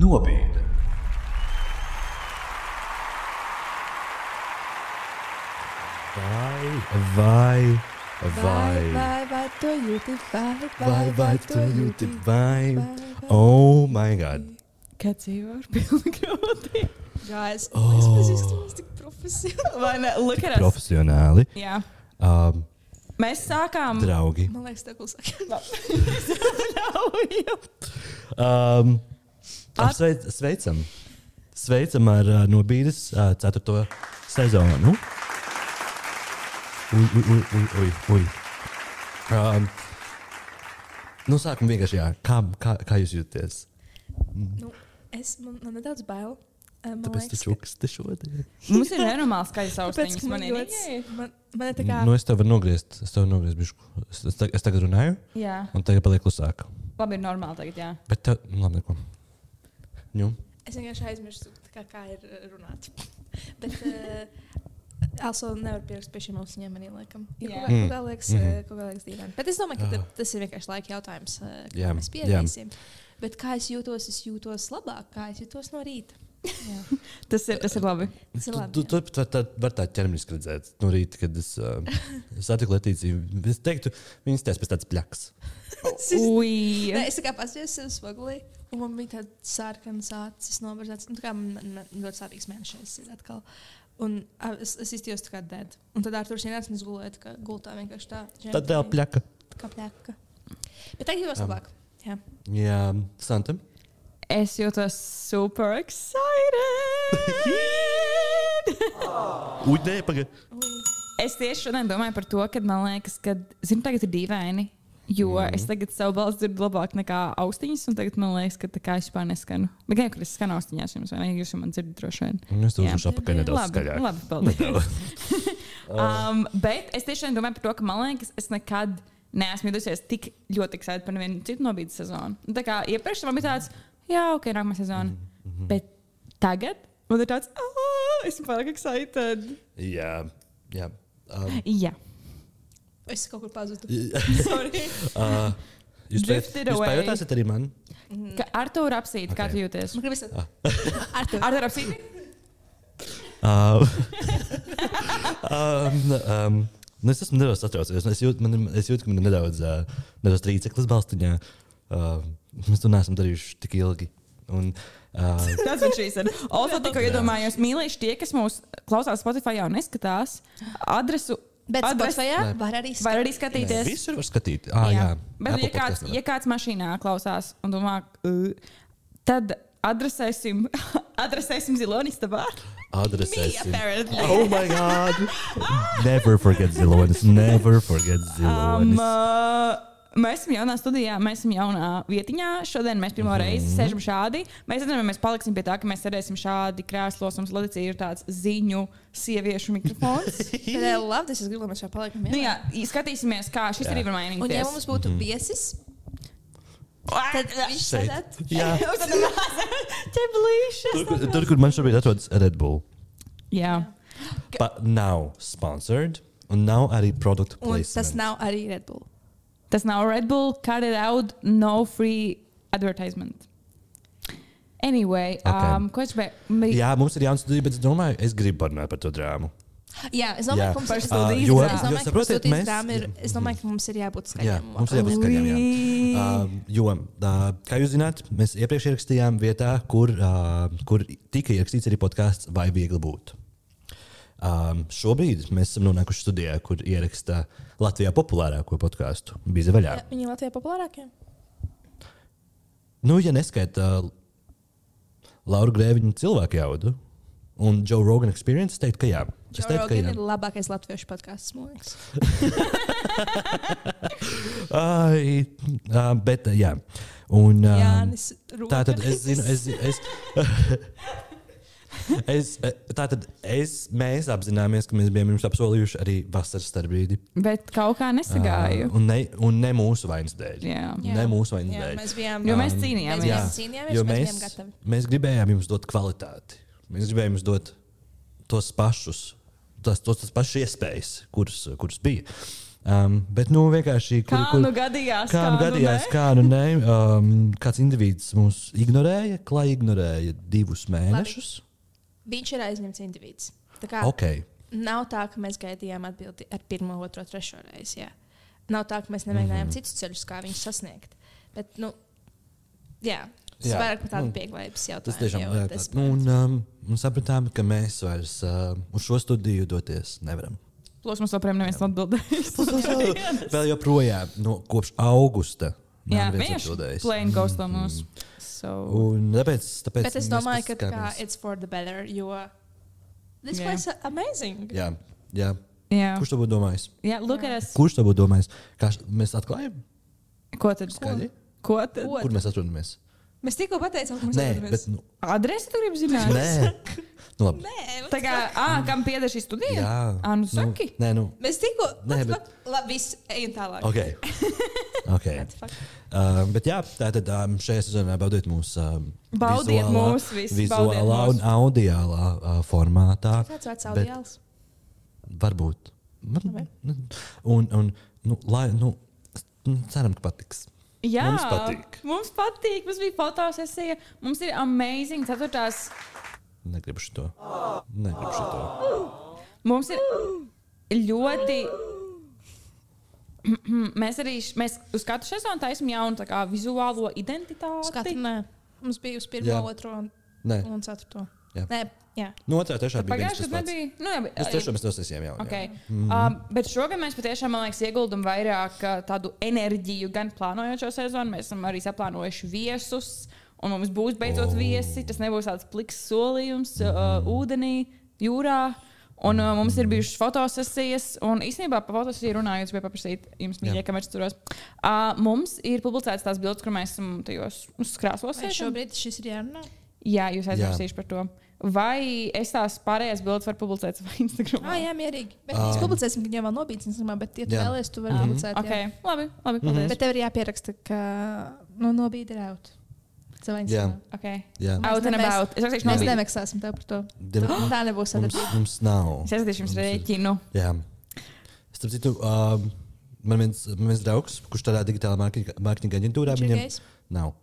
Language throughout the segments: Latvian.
Nobīde. Vai to jūti, vai tu jūti, vai. Oh my god. Kad dzīvo ar pilnu grūti. Guys, mēs izskatāmies tik profesionāli. Vai ne? Look at us. Profesionāli. Jā. Mēs sākām. Draugi. Man liekas, tā klusāk. Sveicam ar Nobīdes 4. sezonu. Ui. Sākam vienkārši, jā. Kā jūs jūties? Man nedaudz bail. Tāpēc tu čuksti šodien. Mums ir nenormāls skaļas austiņas. Man ir tā kā... Es tev varu nogriezt bišku. Es tagad runāju? Jā. Un tagad paliek klusāk. Labi, ir normāli tagad, jā. Bet tev, labi, neko. Nu? Es vienkārši aizmirstu, kā ir runāt. Bet... Also nevar pierakst pie šiem austiņiem arī, laikam. Kaut kā liekas dīvaini. Bet es domāju, ka tas ir vienkārši laika jautājums, kā mēs pierādīsim. Bet kā es jūtos labāk, kā es jūtos no rīta. Tas ir labi. Tu var tā ķermeniski redzēt no rīta, kad es satiku Letīciju. Es teiktu, viņas tās pēc tāds pļaks. Es tā kā pasījos sev spogulī, un man bija tāda sārkanas acis nobarzēts. Tā kā man ļoti sārīgs mēnešais ir atkal. Un es iztījos tā kā dead. Un tad Arturs ienāca un es gulēju tā kā gultā vienkārši tā. Tad tev pļaka. Kā pļaka. Bet tagad jūtos labāk. Jā, Santa? Es jūtos super excited! Es tieši šodien domāju par to, ka man liekas, ka, tagad ir dīvaini. Jo es tagad savu balsi dzirdu labāk nekā austiņas, un tagad man liekas, ka tā kā es vispār neskanu. Bet gan jau, ka es skanu austiņās jums, vai ne? Jūs man dzirdat droši vien. Es tev uzrušu apakaļ nedaudz skaļāk. Labi, paldies. Bet es tiešām domāju par to, ka man liekas, es nekad neesmu jutusies tik ļoti excited par nevienu citu Nobīdes sezonu. Un tā kā iepriekš man bija tāds, jā, ok, nākamā sezona. Bet tagad man ir tāds, esmu pārāk excited. Jā. Jā. Es kaut kur pazudu. Sorry. Jūs pajotāsiet arī man? Artur apsīt, kā tu jūties? Man gribas... Artur apsīt? Es esmu nedaudz satraucies. Es jūtu, ka man ir nedaudz trīceklis balstiņā. Mēs to neesam darījuši tik ilgi. That's what she said. Also, tikko iedomājos, mīlīši tie, kas mūs klausās Spotify un neskatās, adresu... Bet Spotify var arī skatīties. Visur var skatīt. Jā. Bet ja kāds mašīnā klausās un domā, tad adresēsim Zilonis tavā. Adresēsim. Oh my God. Never forget Zilonis. Mēs esam jaunā studijā, mēs esam jaunā vietiņā. Šodien mēs pirmo reizi sēžam šādi. Mēs zinām, mēs paliksim pie tā, ka mēs sēdēsim šādi krēslos. Mums Leticija ir tāds ziņu sieviešu mikrofons. Bet labi, es gribu, lai mēs šā palikam. Jā, skatīsimies, kā šis arī var mainīties. Un ja mums būtu viesis, tad viņš sēdēt. Jā. Ķeblīšas. Tur, kur man šobrīd atrodas Red Bull. Jā. But now sponsored. Un nav arī product placement. Un tas nav arī Red Bull. Tas nav Red Bull, cut it out, no free advertisement. Anyway, ko es biju? Jā, mums ir jauns studija, bet es domāju, es gribu parunāt par to drāmu. Jā, es domāju, ka mums ir studijas drāma. Es domāju, ka mums ir jābūt skaļiem. Jā, mums ir jābūt skaļiem, jo, kā jūs zināt, mēs iepriekš ierakstījām vietā, kur tika ierakstīts arī podcasts Vai viegli būt. Šobrīd mēs esam nonākuši studijā, kur ieraksta Latvijā populārāko podcastu. Bija vaļā. Viņi ir Latvijā populārākie? Ja neskaita Lauru Grēviņu cilvēku jaudu un Joe Rogan Experience, es teiktu, ka jā. Joe Rogan ir labākais latviešu podcasts, man liekas. Bet, jā. Un, Jānis Rogan. Tātad es zinu, mēs apzināmies, ka mēs bijām jums apsolījuši arī vasaras starpbrīdi. Bet kaut kā nesagāju. Un ne mūsu vainas dēļ. Jā. Ne mūsu vainas dēļ. Mēs bijām, jo mēs cīnījāmies. Mēs bijām gatavi. Mēs gribējām jums dot kvalitāti. Mēs gribējām jums dot tos pašus tas pašas iespējas, kuras bija. Bet vienkārši kā nu gadījās, kā nu nē. Kāds individs mūs ignorēja, klāji ignorēja 2 mēnešus. Viņš ir aizņemts individs. Nav tā, ka mēs gaidījām atbildi ar 1, 2, 3 reizi. Jā. Nav tā, ka mēs nemēģinājām citus ceļus, kā viņus sasniegt. Bet, tas vairāk par tādu pieklājības jautājumu. Tas tiešām un sapratām, ka mēs vairs uz šo studiju doties nevaram. Plus mums joprojām neviens atbildējis. Vēl joprojām kopš augusta. Jā, viņš plain ghosto mūs. Un tāpēc bet es domāju, ka it's for the better, jo this was amazing. Jā. Kurš to būtu domājis? Kurš to būtu domājis? Kā mēs atklājam? Ko tad? Skaļi? Ko tad? Kur mēs atrodamies? Mēs tikko pateicām, ka mēs atrodamies. Adresi tu gribi zināt? Nē. Tā kā, kam pieder šī studija? Jā. Nu saki. Mēs tikko, labi, viss, ejam tālāk. Okay. Bet jā, tātad šajā sezonā baudiet mūsu vizuālā un audiālā formātā. Kāds vārds audiāls? Varbūt. Ceram, ka patiks. Jā, mums patīk. Mums bija fotosesija. Mums ir amazing 4. Negribu šito. Mums ir ļoti... Mēs uz katru sezonu taisam jaunu vizuālo identitāti. Skatru, nē. Mums bija uz 1, 2 un 4. Jā. No 2, 3 bija pagājušajā gadā nebija. Uz 3 mēs nosēsījām jau. Bet šogad mēs patiešām, man liekas, ieguldam vairāk tādu enerģiju, gan plānojot šo sezonu. Mēs esam arī saplānojuši viesus, un mums būs beidzot viesi. Tas nebūs tāds pliks solījums ūdenī, jūrā. Un mums ir bijušas fotosesijas, un īstenībā par fotosesiju runājot, bija paprasīt jums, mīļie, kamēr es turos. Mums ir publicētas tās bildes, kur mēs esam tajos krāslos. Vai šobrīd šis ir jārunā? Jā, jūs aizmirsīšu par to. Vai es tās pārējās bildes varu publicēt savā Instagramā? Jā, mierīgi. Bet mēs publicēsim, ka jau vēl nobīdz Instagramā, bet, ja tu vēlies, tu vari publicēt. Labi, paldies. Bet tev ir jāpieraksta, ka nobīd ir out. Savā Instagramā. Out and about. Mēs nemaksāsim tev par to. Tā nebūs sadarbība. Mums nav. Es aizskatīšu jums rēķinu. Jā. Starp citu, man viens draugs, kurš tādā digitālā mārketinga aģentūrā, viņam nav.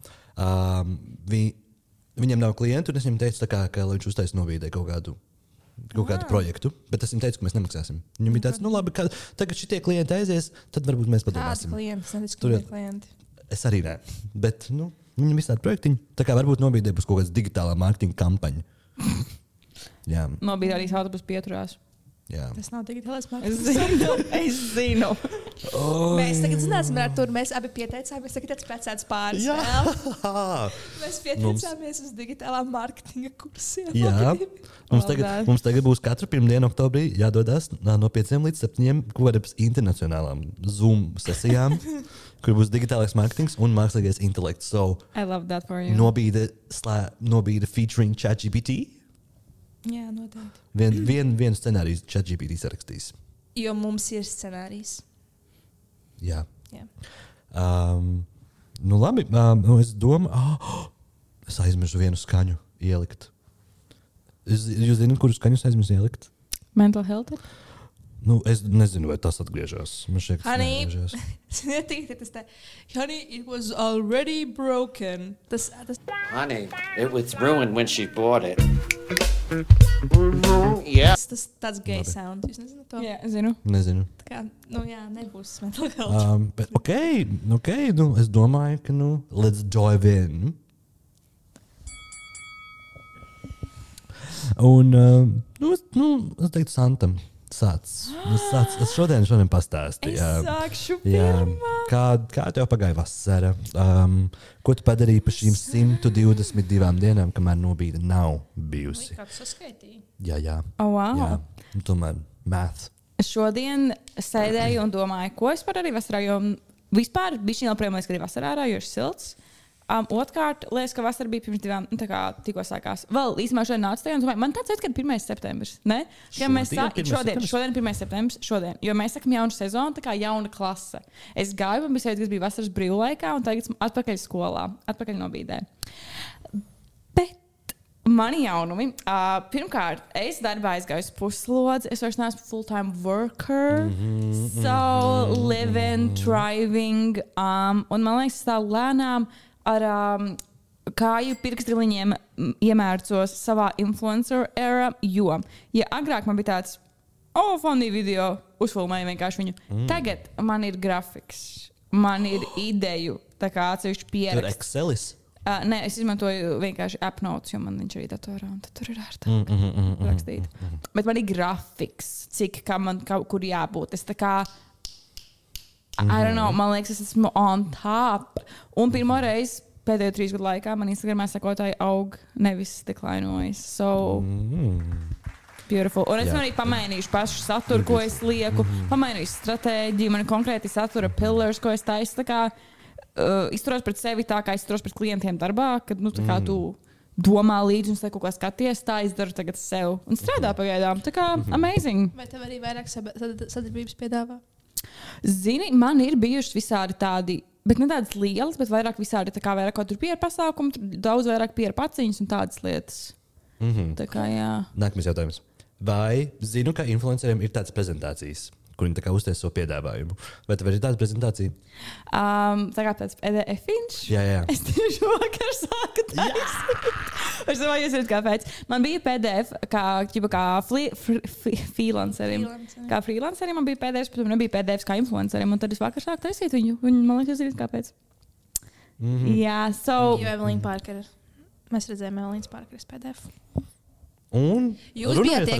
Viņam nav klientu, un es viņam teicu, ka viņš uztais novīdē kaut kādu projektu, bet es viņam teicu, ka mēs nemaksāsim. Viņam bija tāds, labi, tagad šitie klienti aizies, tad varbūt mēs padomāsim. Kādi klienti? Es arī nē, bet viņam ir tādi projektiņi, tā kā varbūt novīdē būs kaut kāds digitālā mārketinga kampaņa. Jā. Novīdē arī autobus pieturās. Jā. Tas nav digitālais mārketings. Es zinu. Mēs tagad zināsim, ar to mēs abi pieteicāmies. Tagad tāds precēts pāris vēl. Mēs pieteicāmies uz digitālā mārketinga kursiem. Jā. Mums tagad būs katru pirmdienu oktobrī jādodas no 5 līdz 7 kaut kādām internacionālām Zoom sesijām, kur būs digitālais mārketings un mākslīgais intelekts. So, I love that for you. Nobīde featuring ChatGPT. Jā, noteikti. Vienu scenāriju ChatGPT sarakstīs. Jo mums ir scenārijs. Jā. Labi. Es domāju, es aizmirsu vienu skaņu ielikt. Jūs zināt, kuru skaņu es aizmirsu ielikt? Mental health? Es nezinu, vai tas atgriežas. Man šķiet, ka tas neatgriežas. Honey, it was already broken. Honey, it was ruined when she bought it. Tas tāds gay sound. Jūs nezināt to? Jā, zinu. Nezinu. Tā kā, nebūs mental health. Bet ok, es domāju, ka, let's dive in. Un, es teiktu Santam. Es šodien pastāstīju. Es sākšu pirmā. Kā tev pagāja vasara? Ko tu padarīji pa šīm 122 dienām, kamēr nobīde nav bijusi? Kā tu saskaitīji? Jā. Oh, wow. Jā. Tomēr math. Šodien sēdēju un domāju, ko es padarīju vasarā, jo vispār bija šī joprojām liekas, ka ir vasarā ārā, jo ir silts. Otrkārt, liekas, ka vasara bija pirms 2, tikko sākās. Vēl īstenībā šodien nāca tajā un domāju, man tāds veids, ka ir 1. septembris. Ne? Šodien 1. septembris, jo mēs sakam jaunu sezonu, tā kā jauna klase. Es gāju, un bija kas bija vasaras brīvlaikā, un tagad atpakaļ skolā, atpakaļ nobīdē. Bet Mani jaunumi. Pirmkārt, es darbā aizgāju puslodzi. Es vairs neesmu full-time worker. So, living, thriving. Un man liekas, tā lēnām ar kāju pirkstiliņiem iemērcos savā influencer era, jo, ja agrāk man bija tāds, funny video, uzfilmēju vienkārši viņu. Tagad man ir grafiks, man ir ideju, tā kā atsevišķi pieraksts. Tur Excelis? Nē, es izmantoju vienkārši AppNotes, jo man viņš arī datorā, un tad tur ir ērtāk rakstīt. Bet man ir grafiks, kur jābūt. Es tā kā, I don't know, man liekas, es esmu on top. Un pirmo reizi pēdējo 3 gadu laikā man Instagramā sekotāji aug, nevis deklainojas. So, beautiful. Un es arī pamainīšu pašu saturu, ko es lieku, pamainīšu stratēģiju, man ir konkrēti satura pillars, ko es taisu. Tā kā izturos pret sevi tā, kā izturos pret klientiem darbā, kad tā kā tu domā līdzi un kaut kā skaties, tā izdaru tagad sev. Un strādā pagaidām. Tā kā amazing. Vai tev arī vairāk sadarbības piedāvā? Zini, man ir bijušas visādi tādi, bet ne tādas lielas, bet vairāk visādi, tā kā vairāk kaut tur PR pasākumi, daudz vairāk PR paciņas un tādas lietas. Tā kā, jā. Nākamais jautājums. Vai zinu, ka influenceriem ir tādas prezentācijas, kur viņi tā kā uztais savu piedāvājumu? Vai tev ir tāda prezentācija? Tā kā tāds PDF-iņš? Jā. Es tieši vakar sāku taisīt. Es domāju, jūs zināt, kāpēc. Man bija PDF kā freelancerim. Kā freelancerim man bija PDF, bet man nebija PDF kā influencerim. Un tad es vakar sāku taisīt viņu. Un man liekas, jūs zināt, kāpēc. Jā, so... Jo Evelīna Parker. Mēs redzējām Evelīnas Parkeres PDF. Un jūs bijat tie,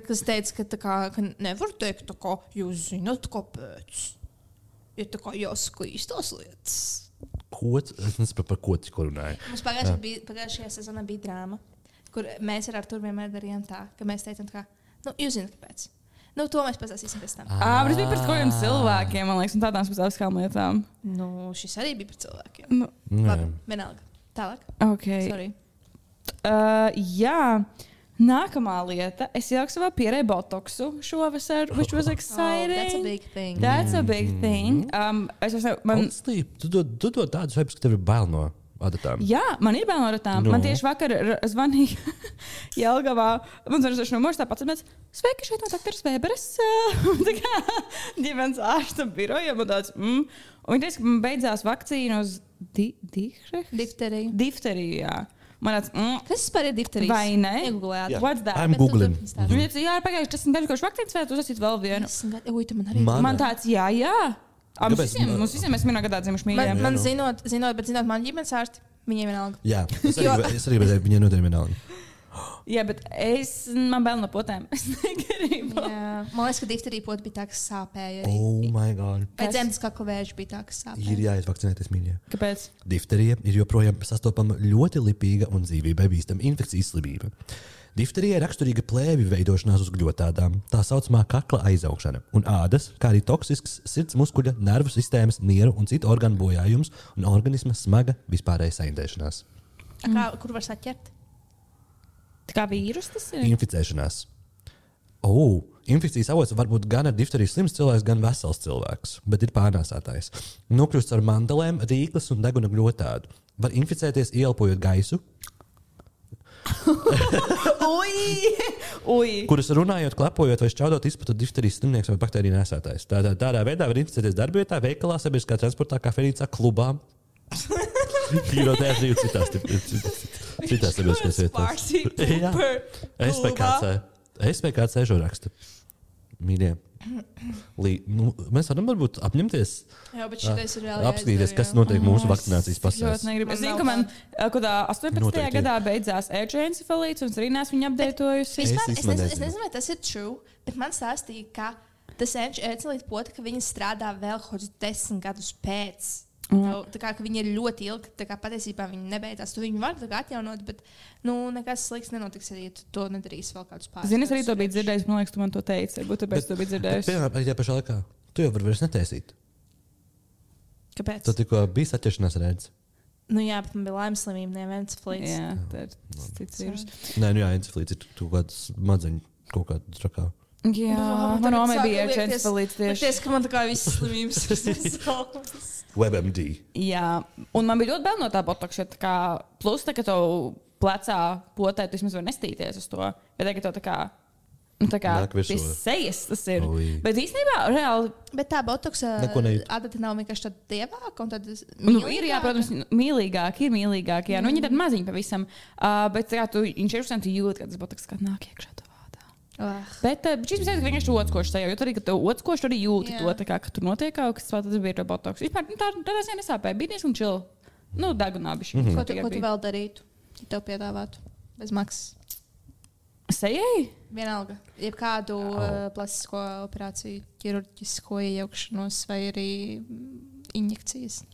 kas teica, ka nevar teikt, ka jūs zināt, kāpēc. Ja tā kā jāsaka īstās lietas. Es nesaprotu, par ko tikko runāju. Mums pagājušajā sezonā bija drāma, kur mēs ar Arturu vienmēr darījām tā, ka mēs teicām, ka jūs zināt, kāpēc. To mēs pastāstīsim pēc tam. Bet es biju par kādiem cilvēkiem, man liekas, un tādām speciāliskām lietām. Šis arī bija par cilvēkiem. Labi, vienalga. Tālāk. Okay. Sorry. Jā. Nākamā lieta. Es ieliku savā pierē botoksu šovasar, which was exciting. That's a big thing. Tu dod tādus vibes, ka tev ir bail no adatām. Jā, man ir bail no adatām. Man tieši vakar zvanīja Jelgavā. Man zvanīja no mūža tāpat. Sveiki, šeit no doktoras Vēberes. Tā kā ģimenes ārsta birojam. Un viņi teica, ka man beidzās vakcīna uz difteriju, jā. Kas vispār ir difterijas? Vai ne? Iegooglējāt. What's that? I'm googling. Viņa teica, jā, pagājuši 10 gadu, kurš vakcīnas vēl, tu esat vēl vienu. Man tāds, jā. Mums visiem mēs vienā gadā dzimuši mīļiem. Man zinot, man ģimenes ārsti, viņiem vienalga. Jā, es arī redzēju, viņiem noteikti vienalga. Jā, bet man bail no potēm. Es negribu. Jā. Man liekas, ka difterija pota bija tā, kas sāpēja. Oh my God. Vai dzemdas kakla vēža bija tā, kas sāpēja? Ir jāizvakcinēties, mīļie. Kāpēc? Difterija ir joprojām sastopama ļoti lipīga un dzīvībai bīstama infekcijas slimība. Difterija ir raksturīga plēvju veidošanās uz gļotādām, tā saucamā kakla aizaugšana un ādas, kā arī toksisks sirds muskuļa, nervu sistēmas, nieru un citu organu bojājums un organisma smaga vispārēja saindēšanās. Kur var saķert? Tā kā vīrus tas ir? Inficēšanās. Infekcijas avots var būt gan ar difteriju slims cilvēks, gan vesels cilvēks, bet ir pārnēsātājs. Nokļūst ar mandelēm, rīklas un deguna gļotādu. Var inficēties ieelpojot gaisu, kuras runājot, klepojot vai šķaudot izplatot difterijas slimnieks vai baktēriju nēsātājs. Tādā veidā var inficēties darbvietā, veikalā, sabiedriskā transportā, kafejnīcā, klubā. Pīrotēs arī citās sabiedriskās vietās. SPKC šo rakstu. Mīļie. Mēs varam varbūt apņemties. Jā, bet šitais ir vēl apskatīties, kas notiek mūsu vakcinācijas pasās. Es zinu, ka man kādā 18. gadā beidzās encefalīts, un es arī neesmu viņu apdeitojusi. Es nezinu, vai tas ir true, bet man stāstīja, ka tas encefalīts pota, ka viņi strādā vēl kaut 10 gadus pēc. Tā kā viņi ir ļoti ilgi, tā kā patiesībā viņi nebeidzās. Tu viņu var atjaunot, bet nekas slikts nenotiks, ja tu to nedarīsi vēl kādus pāris. Zini, es arī to biju dzirdējis, man liekas, tu man to teici. Varbūt tāpēc to biju dzirdējis. Piemēram, arī tajā pašā laikā. Tu jau vari vairs netaisīt. Kāpēc? Tu tikko biji saķeršanās redz. Jā, bet man bija laimes slimība, ne encefalīts. Jā, tā ir cits vīrus. Nē, encefalīts ir kaut kāds madziņu, kaut kāda trakā. Jā, man omē bija encefalīts tieši. Ties, ka man tā kā visas slimības WebMD. Jā, un man bija ļoti bail no tā botokša. Plus, ka tev plecā potē, tu vismaz var nestīties uz to. Bet tagad to tā kā pie sejas tas ir. Bet īstenībā reāli. Bet tā botoksa adata nav vienkārši tāda dievāka un tad ir, jā, protams, mīlīgāk, jā. Nu, viņi ir tādi maziņi pavisam. Bet tā kā tu inšķiršana, tu jūti, ka tas botoks kā nāk iekšā tavā vādā. Bet šis bija vienkārši otskošs tajā, jo tad, kad tu otskošs, tu arī jūti to, tā kā, ka tur notiek kaut kas, tas bija to botoks. Vispār tādā ziņā nesāpēja, bija diezgan chill. Nu, dagunābiši. Ko tu vēl darītu, ja tev piedāvātu bez maksas? Sejai? Vienalga. Jebkādu plastisko operāciju, ķirurģisko iejaukšanos vai arī injekcijas.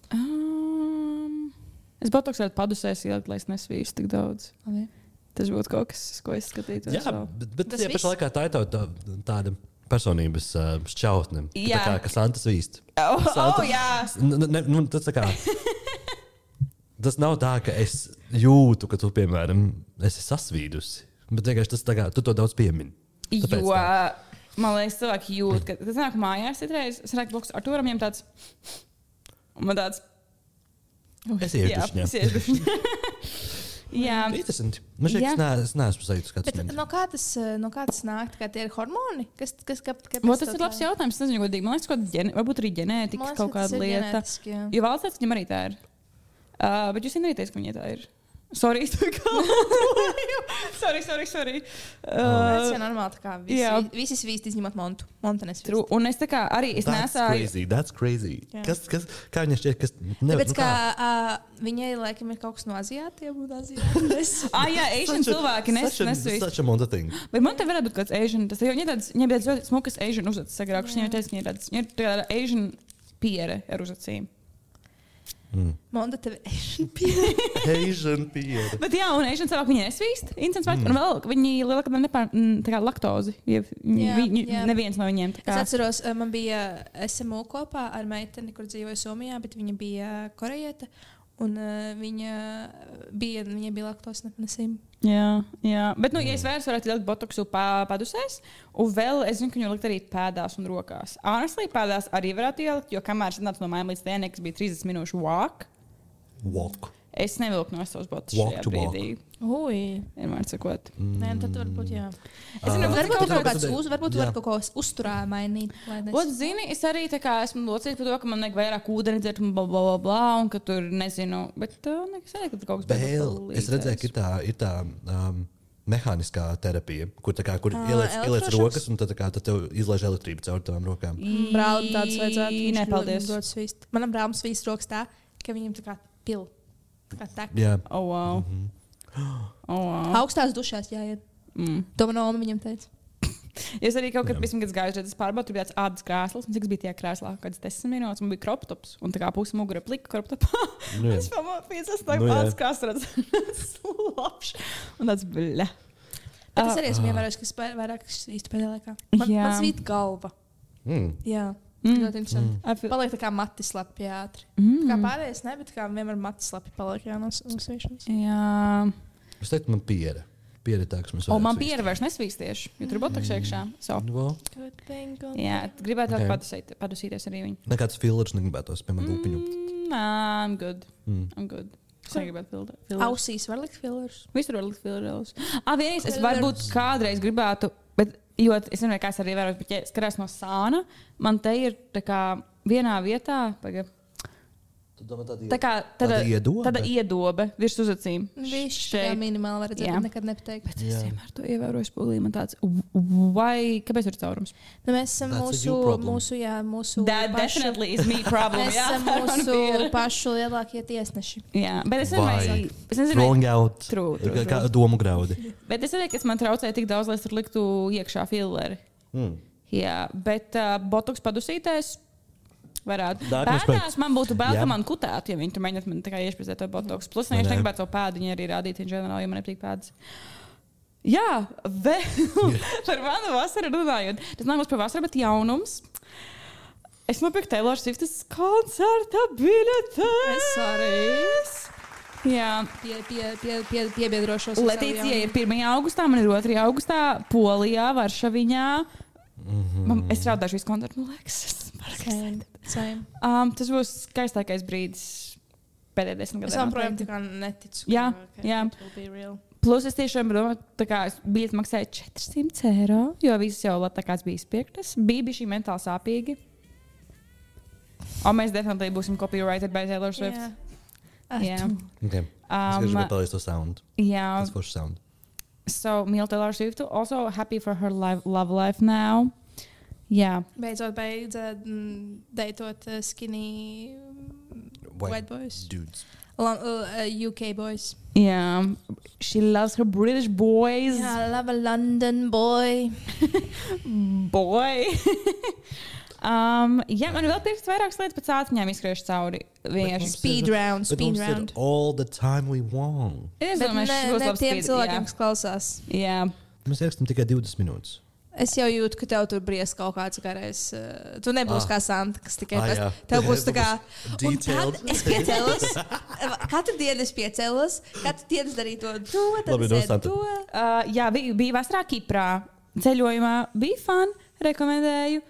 Es botoks varētu padusēs ielikt, lai es nesvīstu tik daudz. Tas būtu kaut kas, ko es skatītos. Jā, bet tie pašā laikā tā ir tāda personības šķautne. Tā kā Santas vīst. Tas tā kā... Tas nav tā, ka es jūtu, ka tu, piemēram, esi sasvīdusi. Bet vienkārši tas tā kā, tu to daudz piemini. Jo, man liekas, cilvēki jūt, ka tas nāk mājās citreiz. Es nāku blakus Artūram, viņam tāds... Un man tāds... Es iešu dušņā. Jā. Interesanti. Man šķiet, es neesmu sajūtas kāds. Bet no kā tas nāk? Kā tie ir hormoni? Tas ir labs jautājums. Es nezinu, godīgi. Man liekas, varbūt arī ģenētikas kaut kāda lieta. Jo valsts viņam arī tā ir. Bet jūs nevarēties, ka viņai tā ir. Sorry, es tev sorry. Tas ir normāli, tā kā visi svīst izņemot Montu. Monta nesvīst. Un es tā kā arī es nesāju. That's crazy. Kā viņa šķiet, kas nevar? Tāpēc, kā viņai, laikam, ir kaut kas no Aziātiem un Aziātiem. Jā, Asian cilvēki nesvīst. Such a Monta thing. Bet man te varētu būt kāds Asian. Viņai bija tāds ļoti smukas Asian uzvedas sagrākušas. Viņai teica, ka viņa ir tāda Asian piere ar uzvecīm. Monda tev Asian piere. Bet jā, un Asian cilvēki viņi nesvīst. Un vēl viņi lielākā laktozi. Neviens no viņiem. Es atceros, man bija SMU kopā ar meiteni, kur dzīvoja Somijā, bet viņa bija korejieta. Un viņai bija laktos nepanesība. Jā. Bet, ja es vairs varētu ielikt botoksu padusēs, un vēl es zinu, ka viņu likt arī pēdās un rokās. Honestly, pēdās arī varētu ielikt, jo kamēr es nācu no mājām līdz dienai, kas bija 30 minūšu walk. Es nevilku no savas botas šajā brīdī. Vienmēr sakot. Nē, tad varbūt jā. Es zinu, varbūt var kaut ko uzturā mainīt. Zini, es arī tā kā esmu locīta par to, ka man nevajag vairāk ūdeni dzert un blablabla, un ka tur nezinu, bet nekas arī, ka tur kaut kas palīdzēs. Es redzēju, ka ir tā mehāniskā terapija, kur ieliec rokas un tad tev izlaiž elektrību caur tavām rokām. Brālim tāds vajadzētu. Nē, paldies. Manam brālim svīst rokas tā, ka viņam tā kā pil. Jā. Wow. Augstās dušās jāiet. To man oma viņam teica. Es arī kaut kad gāju, tad es pārbaudu, tur bija tāds ādas krēsls, un cik bija tajā krēslā, kāds 10 minūtes, un bija kroptops, un tā kā pusi mugura plika kroptopā. Es pamāpīju, tā ādas krēsls, slapš, un tāds bļa. Bet es arī esmu ievērojis, ka vairāk svīstu pēdējā laikā. Man svīt galva. Jā. Ļoti interesanti. Paliek tā kā mati slapi ātri. Kā pārējais ne, bet kā vienmēr mati slapi paliek no svīšanas. Jā. Es teiktu, man piere. Piere tā, kas mēs man piere vairs nesvīst tieši, jo tur botoks iekšā. Jā, gribētu vēl padusīties arī viņu. Nekāds fillers negribētos, piemēram, lūpiņu. I'm good. Es negribētu fillers. Ausīs var likt fillers? Visur var likt fillers. Vienīgs, es varbūt kādreiz gribētu, bet jo es nezinu, kā es arī vēros, bet ja skatās no sāna, man te ir tā kā vienā vietā, tā kā tāda iedobe virs uzacīm. Viņš tā minimāli var redzēt, bet nekad nepateikt. Bet es vienmēr to ievēroju spulī, man tāds, kāpēc ir caurums? Mēs esam mūsu That definitely is me problem. Mēs esam mūsu pašu lielākie tiesneši. Jā, bet es nezinu. Throwing out. Kā domu graudi. Bet es nezinu, kas man traucēja tik daudz, lai es tur liktu iekšā filleri. Jā, bet botoks padusītais varētu. Pēdās man būtu bail, ka man kutētu, ja viņi tur mēģināt man tā kā iešprizēt to botoks. Plus, es negribētu savu pēdu, viņi arī rādīt, ģenerāli, jo man nepatīk pēdas. Jā, vēl par manu vasaru runājot. Tas nav mums par vasaru, bet jaunums. Es nopirku Taylor Swift's koncerta biļetes. Es arī. Jā. Piebiedrošos. Letīcija ir 1. augustā, man ir 2. augustā, Polijā, Varšaviņā. Es raudāšu visu koncertu, man liekas. Tas būs skaistākais brīdis pēdējā 10 gadiem. Es joprojām tā kā neticu. Jā. Plus es tiešām domāju, tā kā biļete maksāja €400, jo visas jau Latvijas bija izpirktas. Bija šī mentāli sāpīgi. Mēs definitīvi būsim copyrighted by Taylor Swift. Yeah. Okay. Es gribēju palaist to sound. Jā. Tas forši sound. So, mīl Taylor Swift. Also happy for her love life now. Jā. Beidzot deitot skinny white boys. Dudes. UK boys. Yeah, she loves her British boys. Yeah, I love a London boy. Boy. Man vēl pirks vairākas lietas pēc ātņām izskriešu cauri. Speed round. All the time we want. Es Bet domāju, šis būs ne labs tiem speed, cilvēkiem, kas klausās. Jā. Mēs ierakstām tikai 20 minūtes. Es jau jūtu, ka tev tur bries kaut kāds garais. Tu nebūsi kā Santa, kas tikai jā. tev būs tā kā. Un Detailed. tad es piecēlos. Katru dienu es piecēlos. Katru dienu es darīju to. Labi, Tad es Santa. to. Jā, bija vasarā Kiprā. Ceļojumā bija fun, rekomendēju.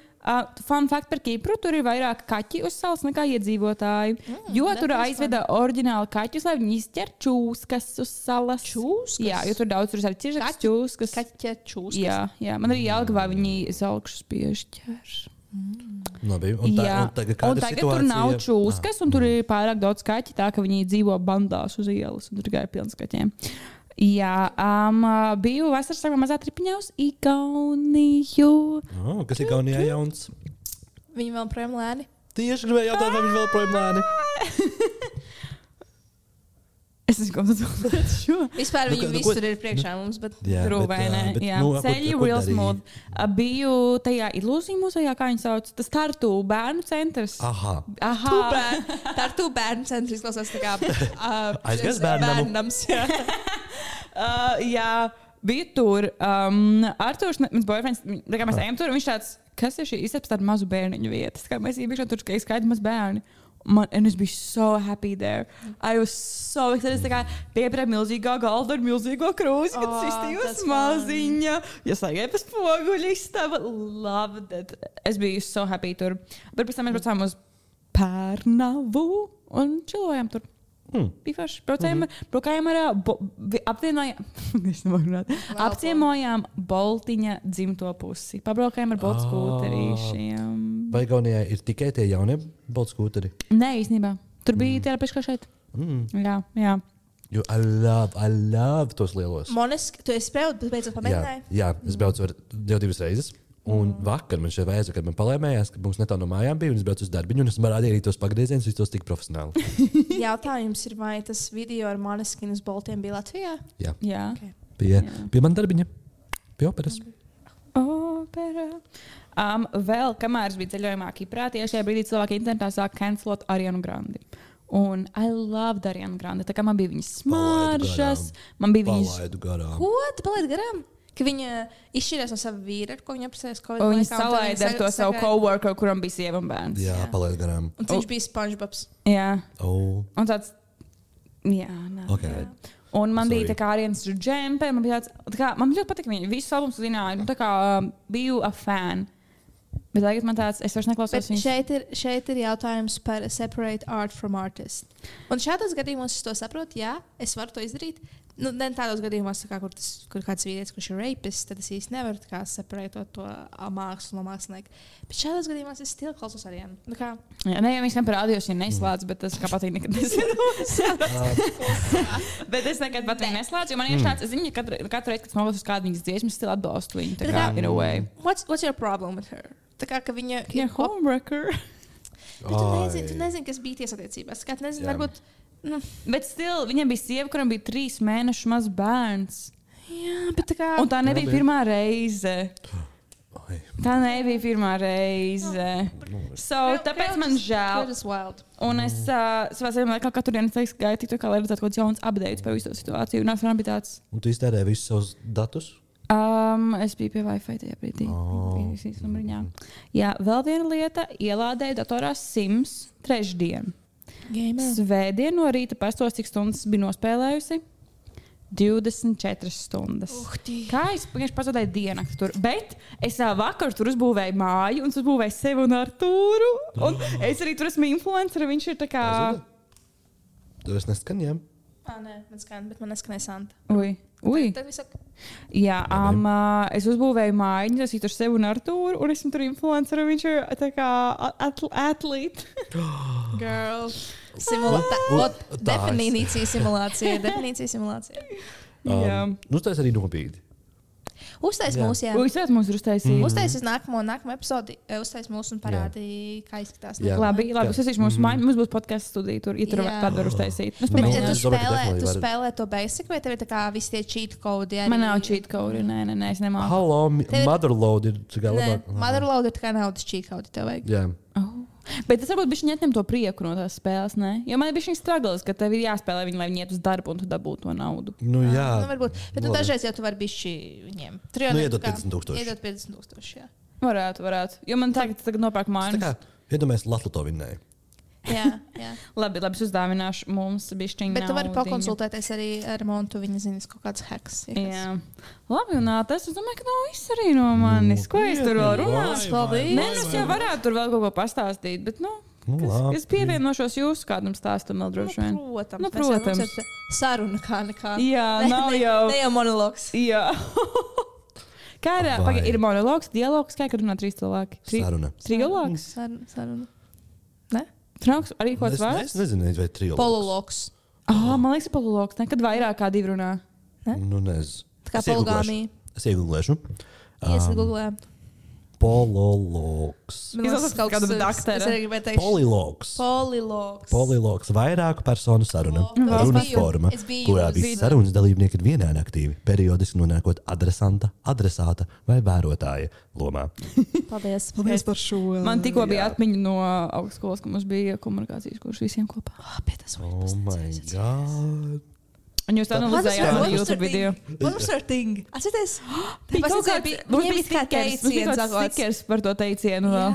Fun fact par Kipru, tur ir vairāk kaķi uz salas nekā iedzīvotāji. Jo tur aizveda oriģināli kaķus, lai viņi izķer čūskas uz salas. Čūskas? Jā, jo tur daudz tur ir ciešas čūskas. Kaķa čūskas. Jā, man arī Jelgavā viņi zelkšus piešķēr. Labi, un tagad tur nav čūskas, un tur ir pārāk daudz kaķi, tā ka viņi dzīvo bandās uz ielas, un tur gāja pilns kaķiem. Jā, biju vasaras sākumā mazā tripiņā uz Igauniju. Kas ir Igaunijā jauns? Viņi vēl projām lēni. Tieši gribēju jautāt, vai viņi vēl projām lēni. Es nezinu, ko tu domā šo. Vispār viņi visur ir priekšā mums, bet Rūvēnē. Ceļi real smooth. Biju tajā ilūziju muzejā, kā viņi sauc, tas Tartu bērnu centrs. Aha. Tartu bērnu centrs izklausās tā kā Aizgājis bērnams. Jā, biju tur. Arturs, mans boyfriends, tā kā mēs ejam tur, viņš tāds, kas ir šī izceps tāda mazu bērniņu vietas. Kā mēs iebiekšām tur, ka skaidri maz bērni. And es biju so happy there. I was so excited. Es tā kā pieprēju milzīgā galda ar milzīgo krūzi, kad sistījos maziņa. Es gāju pa spoguļu istabu. Loved it. Es biju so happy tur. Bet pēc tam mēs braucām uz Pērnavu un čilojām tur. Bija forši. Braukājām ar apciemojām Boltiņa dzimto pusi. Pabraukājām ar Boltu skūterīšiem. Vai Igaunijā ir tikai tie jaunie Boltu skūteri? Nē, īstenībā. Tur bija tie paši kā šeit. Jā. Jo I love tos lielos. Monesk, tu esi beidzot pamēģināji? Jā, es braucu jau 2 reizes. Un vakar man šeit vajadzēja, kad man palēmējās, ka mums netālu no mājām bija, un es braucu uz darbiņu, un es rādīju arī tos pagriezienus, un tos tik profesionāli. Jautājums ir, vai tas video ar Måneskin uz Boltiem bija Latvijā? Jā. Okay. Pie man darbiņa. Pie operas. Vēl, kamēr es biju ceļojumā Kiprā, tieši šajā brīdī cilvēki internetā sāk cancelot Arianu Grandi. Un I loved Arianu Grandi. Tā kā man bija viņas smaržas, man bija viņas... Palaidu garām. Ko? Tu palaidi garām? Ka viņa izšķirās no sava vīra, ar ko viņa apprecējās Covid laikā. Viņa salaida ar to savu coworkeru, kuram bija sieva un bērns. Jā, palaidu garām. Un viņš bija SpongeBobs. Jā. Un tāds... Jā, nē. Okay. Un man bija tā kā Arianas džempe, man bija tāds... Man ļoti patika viņa. Visus albums zināja. Tā kā biju a fan. Bet tagad man tāds... Es vairs neklausos viņas. Šeit ir jautājums par separate art from artist. Un šādos gadījumos es to saprotu, jā, es varu to izdarīt. Ne tādos gadījumos, kā, kur kāds vīrietis, kurš ir rapist, tad es īsti nevaru separētot to mākslu no mākslinieka. Bet šādos gadījumos es stili klausos arī. Nē, jau viņš tam parādījos, ja neslēdz, bet tas kā patīk nekad neslēdz. Bet es nekad patīk neslēdzu, jo man ir tāds, es zinu, katru reizi, kad klausos kādu viņas dziesmu, es stili atbalstu viņu. Tā kā, in a way. What's your problem with her? Tā kā, ka viņa ir homewrecker. Tu nezini, kas bija tiesattiecībās. Tu nezini, varbūt... Bet viņam bija sieva, kuram bija 3 mēnešu mazs bērns. Jā, bet tā kā... Un tā nebija pirmā reize. Tā nebija pirmā reize. Tāpēc man žēl. Un es savā ziņā katru dienu gāju tik tā kā, lai redzētu kaut kāds jauns updates par visu situāciju. Un man bija tāds... Un tu iztērēji visus savus datus? Es biju pie Wi-Fi tajā brīdī. Jā, vēl viena lieta. Ielādēju datorā Sims 3. Svētdien no rīta pastos, cik stundas biju nospēlējusi? 24 stundas. Kā es vienkārši pazaudēju diennakti tur. Bet es vakar tur uzbūvēju māju un uzbūvēju sevi un Artūru. Un es arī tur esmu influencer, viņš ir tā kā... Tu esi neskaņiem? Nē, man skan, bet man neskanēja Santa. Ui. Tad viss ok. Jā, es uzbūvēju mājiņu, es tur sevi un Artūru, un esmu tur influenceru, viņš ir tā kā atlīte. Girl. Definīcija simulācija. Tas arī nobīdi. Uztais mūsu, jā. Uztais mūsu ir uztaisīt. Uztaisīs nākamo epizodi, uztais mūsu un parādīja, kā izskatās. Labi, uztaisīšu mūsu mājiņu, mums būs podcasts studija tur, ja tur kādu var uztaisīt. Tu spēlē to basic, vai tev ir tā kā visi tie cheat codi? Man nav cheat codi, nē, es nemāku. Hello, Motherload ir tā kā labāk. Motherload ir tā kā naudas cheat codi, tev vajag. Jā. Bet tas varbūt bišķi ņem to prieku no tās spēles, ne? Jo man ir bišķi struggles, ka tev ir jāspēlē viņi, lai viņi iet uz darbu un tu dabūtu to naudu. Nu jā. Varbūt. Bet tu dažreiz jau tu vari bišķi viņiem. Iedot 50,000. Iedot 50,000, jā. Varētu. Jo man tagad nopērk mājas. Tā kā, iedomājies, Latluto vinnēja. Jā. Labi, es uzdāvināšu mums bišķiņu. Bet tu vari pakonsultēties arī ar Montu, viņa zinas kaut kāds hacks. Jā. Labi, un tas, es domāju, ka nav viss arī no manis. Ko es tur vēl runāšu? Paldies. Nē, es jau varētu tur vēl kaut ko pastāstīt, bet, es pievienošos jūsu kādam stāstam vēl droši vien. Protams. Mums ir saruna kā nekā. Jā, nav jau. Ne jau monologs. Jā. Kā ir monologs, dialogs, kā runā 3 cilvēki? Saruna. Trilogs? Saruna. Ne? Trauks arī kaut kāds vārds? Es nezinu, vai trilogs. Polologs. Man liekas, polologs. Nekad vairāk kā 2 runā. Ne? Nu, nezinu. Tā kā poligāmija. Es iegooglēšu. Iesagooglē. Polologs. Izlasās kaut kādu dakteru. Es arī gribēju teikt. Polilogs. Vairāku personu saruna. Runas forma, kurā visi sarunas dalībnieki ir vienādi aktīvi, periodiski nonākot adresāta vai vērotāja lomā. Paldies par šo. Man tikko bija atmiņa no augstskolas, ka mums bija komunikācijas kurs visiem kopā. Oh my God. Un jūs analizējāt mani YouTube video. What was her thing? Atcerieties? Mums bija stickers par to teicienu vēl.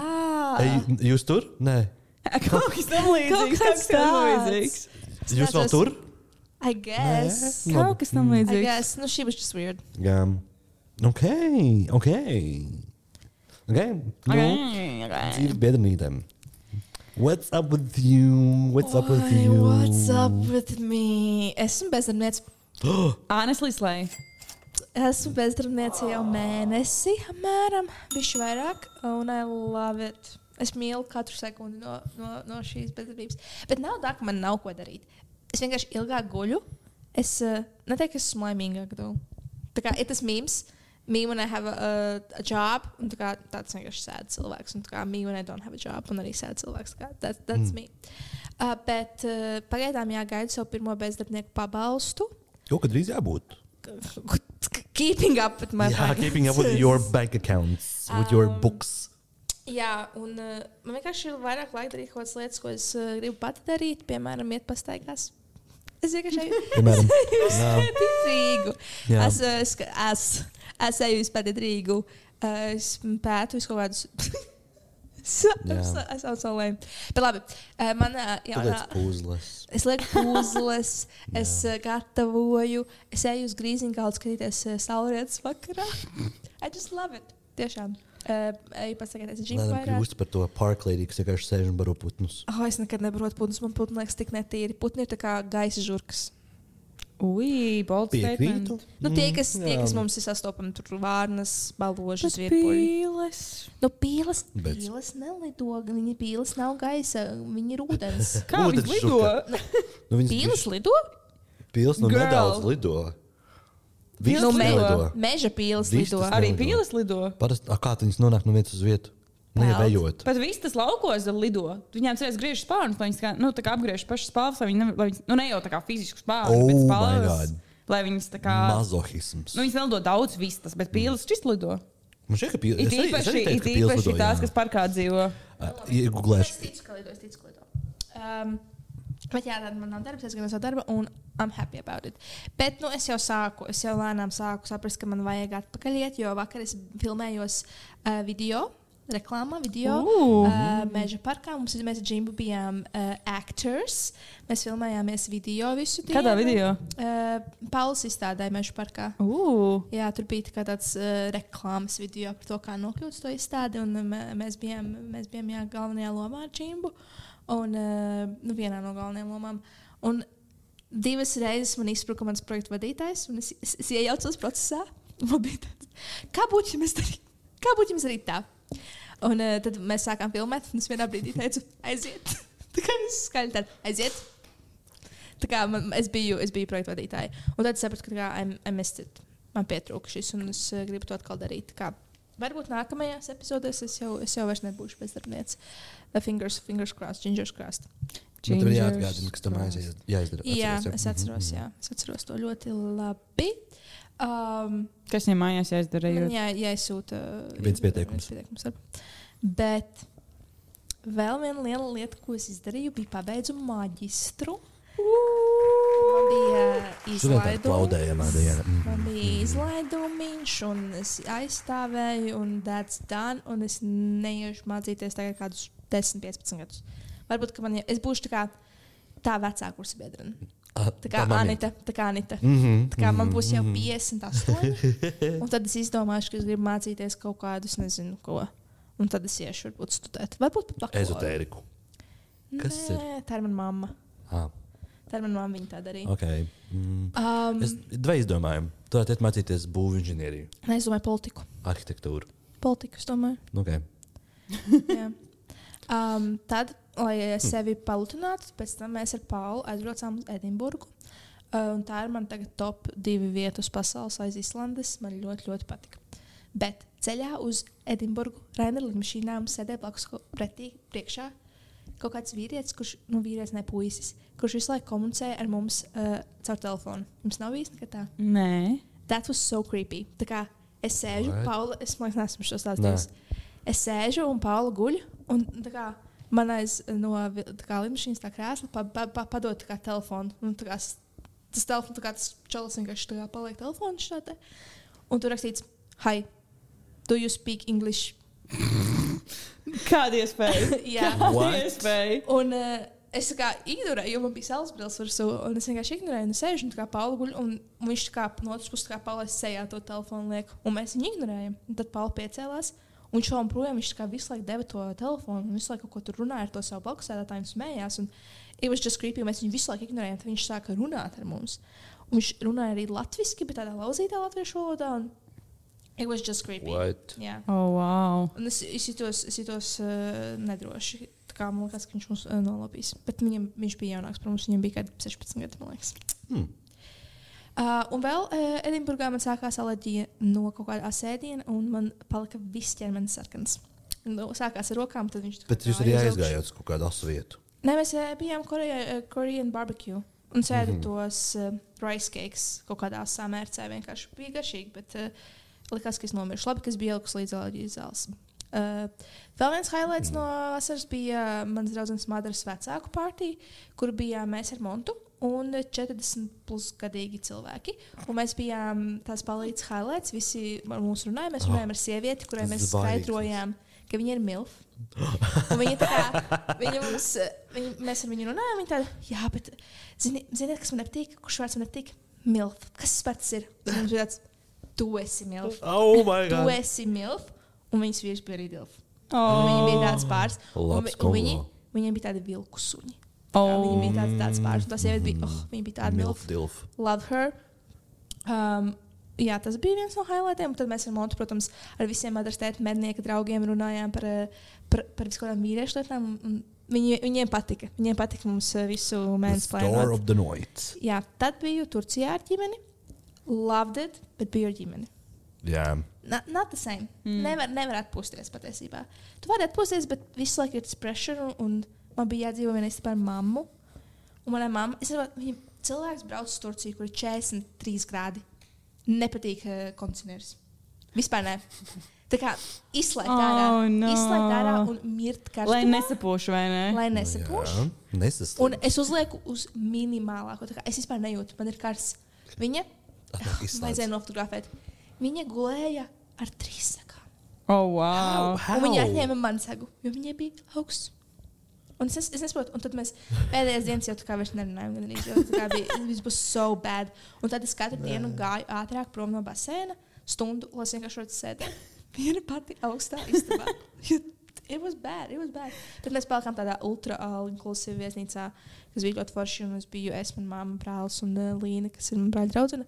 Jūs tur? Nē. Kaut kas tam līdzīgs. Jūs vēl tur? I guess. Kaut kas tam līdzīgs. I guess. No, she was just weird. Jā. Okay. Dzīves biedrnītēm. What's up with you? What's up with me? Esmu bezdarbniece. Honestly, slay. Esmu bezdarbniece jau mēnesi, apmēram, bišķi vairāk, un I love it. Es mīlu katru sekundi no šīs bezdarbības. Bet nav tā, ka man nav ko darīt. Es vienkārši ilgāk guļu. Es neteiktu, ka esmu laimīgāk. Tā kā ir tas memes. Me when I have a job, un tāds vienkārši sad cilvēks, un me when I don't have a job, un arī sad cilvēks. That's me. Bet pagaidām jāgaida savu pirmo bezdarbnieku pabalstu. Jo, kad drīz jābūt? Keeping up with my finances. Keeping up with your bank accounts, with your books. Jā, un man vienkārši ir vairāk laika darīt kaut kādas lietas, ko es gribu pati darīt, piemēram, iet pastaigās. Es vienkārši eju Es eju vispār Rīgu. Es pētu visu kaut kādus. Es jau so lēmu. Bet labi, man es lieku pūzles, es gatavoju, es eju uz Grīziņkalnu skatīties saulrietas vakarā. I just love it. Tiešām. Eju pasakāties džinku vairāk. Kļūst par to park lady, kas vienkārši sēž un baro putnus. Es nekad nebarotu putnus, man putni liekas tik netīri. Putni ir tā kā gaisa žurkas. Bold statement. Tie, kas mums ir sastopami, tur vārnas, baložas, vierpuļi. Pīles nelido. Viņa pīles nav gaisa, viņa ir ūdens. Kā viņas lido? Pīles lido? Pīles nedaudz lido. Meža pīles lido. Arī pīles lido? Kā viņas nonāk no vietas uz vietu? Nevējot. Pat vistas laukos lido. Viņām cerēs griež spārnus, lai viņas tā kā apgriež pašas spāvas, lai viņas, ne jau tā kā fizisku spāvu, bet spāvas, lai viņas tā kā... Mazohisms. Viņas nelido daudz vistas, bet pīles čist lido. Man šķiet, ka pīles... It īpaši tās, kas parkā dzīvo. Iegooglēšu. Es ticu, ka lido. Bet jā, tad man nav darbs, es gan esmu darba, un I'm happy about it. Bet, es jau lēnām sāku saprast, ka man vajag atpakaļ iet, jo vakar es filmējos reklāmā, Meža parkā. Mēs ar Džimbu bijām actors. Mēs filmējāmies video visu dienu. Kādā video? Pauls izstādāja Meža parkā. Jā, tur bija tāds reklāmas video par to, kā nokļūt to izstādi. Un mēs bijām galvenajā lomā ar Džimbu. Un vienā no galvenajām lomām. Un 2 reizes man izspruka mans projektu vadītājs, un es iejaucos procesā. Man bija tāds, kā būtu, ja mēs darītu tā? Un tad mēs sākām filmēt, un es vienā brīdī teicu, aiziet. Tā kā es skaļi tādu, aiziet. Tā kā es biju projektu vadītāja. Un tad sapratu, ka I missed it. Man pietrūka šis, un es gribu to atkal darīt. Tā kā varbūt nākamajās epizodēs es jau vairs nebūšu bezdarbniece. Fingers crossed, gingers crossed. Man tev ir jāatgādina, kas tam jāizdara. Jā, es atceros, Es atceros to ļoti labi. Kas viņam mājās jāizdara? Jāizsūta viens pieteikums. Bet vēl viena liela lieta, ko es izdarīju, bija pabeidzu maģistru. Man bija izlaidumiņš, un es aizstāvēju, un that's done, un es neiešu mācīties tagad kādus 10-15 gadus. Varbūt, ka es būšu tā vecā kursa biedrene. Tā kā Anita. Tā kā man būs jau 58, un tad es izdomāšu, ka es gribu mācīties kaut kādus, nezinu ko. Un tad es iešu varbūt studēt. Varbūt pat bakalauru. Ezotēriku. Kas ir? Tā ir mana mamma. Tā ir mana mamma, viņa tā darīja. Okay. Es dva izdomājumu. Tu varētu iet mācīties būvu inženieriju. Nē, es domāju politiku. Arhitektūru. Politiku, es domāju. Okay. Jā. Tad, lai sevi palutinātu, pēc tam mēs ar Paulu aizbraucām uz Edinburgu. Un tā ir man tagad top 2 vietas pasaules aiz Islandes. Man ļoti, ļoti patika. Bet ceļā uz Edinburgu Rainer lidmašīnā mums sēdēja blakus pretī priekšā kaut kāds vīrietis, vīrietis ne puisis, kurš visu laiku komunicēja ar mums caur telefonu. Jums nav bijis nekad tā? Nē. That was so creepy. Tā kā es sēžu, Paula, es man liekas, nesmu šo stāstījis. Es sēžu un Paula guļ, un tā kā man aiz no lidmašīnas tā krēsla padod tā kā telefonu. Un tā kā tas telefons, tā kā tas čalis vienkārši tā kā paliek telefonu šādā. Un tur rakstīts, hi, do you speak English? Kāda iespēja? Jā. Kāda iespēja? Un es tā kā ignorēju, jo man bija saulesbrīlis virsū, un es vienkārši ignorēju, un sēžu, un tā kā Paula guļ, un viņš tā kā no otras puses tā kā Paula sejā to telefonu liek, un mēs viņu ignorējam. Un tad Paula piecēlās, un viņš šaun projām, viņš tā kā visu laiku deva to telefonu, un visu laiku kaut ko tur runāja ar to savu blakusēdētāju un smējās, un it was just creepy, mēs viņu visu laiku ignorējam, tad viņš sāka runāt ar mums. Un viņš runāja arī latviski, bet tādā lauzītā latviešu valodā, un it was just creepy. What? Jā. Oh, wow. Un es jutos nedroši. Tā kā man liekas, ka viņš mums nolapīs. Bet viņš bija jaunāks par mums. Viņam bija kādi 16 gadi, man liekas. Un vēl Edinburgā man sākās alerģija no kaut kāda asēdiena, un man palika viss ķermenis sarkans. Sākās ar rokām, tad viņš... Bet jūs arī aizgājāt uz kaut kādu asu vietu? Nē, mēs bijām Korean barbecue. Un sēdi tos rice cakes kaut kādā asā mērcē. Vienkārši bija garšīgi, bet... likās, ka es nomiršu. Labi, ka es biju ielikusi līdz alerģijas zāles. Vēl viens highlights no vasaras bija mans draudzenes Madaras vecāku partija, kur bijām mēs ar Montu un 40+ gadīgi cilvēki. Un mēs bijām tās palīdz highlights, visi ar mums runāja. Mēs runājām ar sievieti, kurai mēs skaidrojām, ka viņa ir milf. Un viņa tā kā, mēs ar viņu runājām, viņa tāda, jā, bet ziniet, kas man nepatīk? Kurš vārds man nepatīk? Milf. Kas tas pats ir? Un viņš bija tāds, tu esi milf. Oh my God. Tu esi milf. Un viņas vīrs bija arī dilf. Viņa bija tāds pāris. Un viņiem bija tādi vilku suņi. Viņa bija tāds pāris. Un tā sieviete bija, viņa bija tāda milf. Love her. Jā, tas bija viens no highlightiem. Un tad mēs ar Montu, protams, ar visiem Madaras tēta mednieka draugiem runājām par visu kādām vīriešu lietām. Viņiem patika. Viņiem patika mums visu mēnesi plēnot. The Store of the Night. Jā, tad biju Turcijā ar ģimeni. Loved it, bet biju ar ģimeni. Jā. Not the same. Nevar atpūsties patiesībā. Tu vari atpūsties, bet visu laiku ir tas pressure, un man bija jādzīvo vienreiz par mammu. Un manai mamma, cilvēks brauc uz Turciju, kur ir 43 grādi. Nepatīk kondicionieris. Vispār ne. Tā kā izslēgt ārā un mirt karstumā. Lai nesapūš, vai ne? Lai nesapūš. Nesaslīd. Un es uzlieku uz minimālāko. Tā kā es vispār nejūtu. Man ir karsts. Viņa vajadzēja nofotografēt. Viņa gulēja ar 3 sagām. Oh, wow. Un viņa atņēma man sagu, jo viņai bija augsts. Un es nesaprotu. Un tad mēs pēdējās dienas jau tā kā vairs nerunājām. Viss būs so bad. Un tad es katru dienu gāju ātrāk prom no basēna, stundu, lai es vienkārši varētu sēdēt. Viena pati augstā istabā. It was bad. Tad mēs palikām tādā ultra all-inclusive viesnīcā, kas bija ļoti forši. Un es biju mana mamma, brālis un Līna, kas ir mana brāļa draudzene.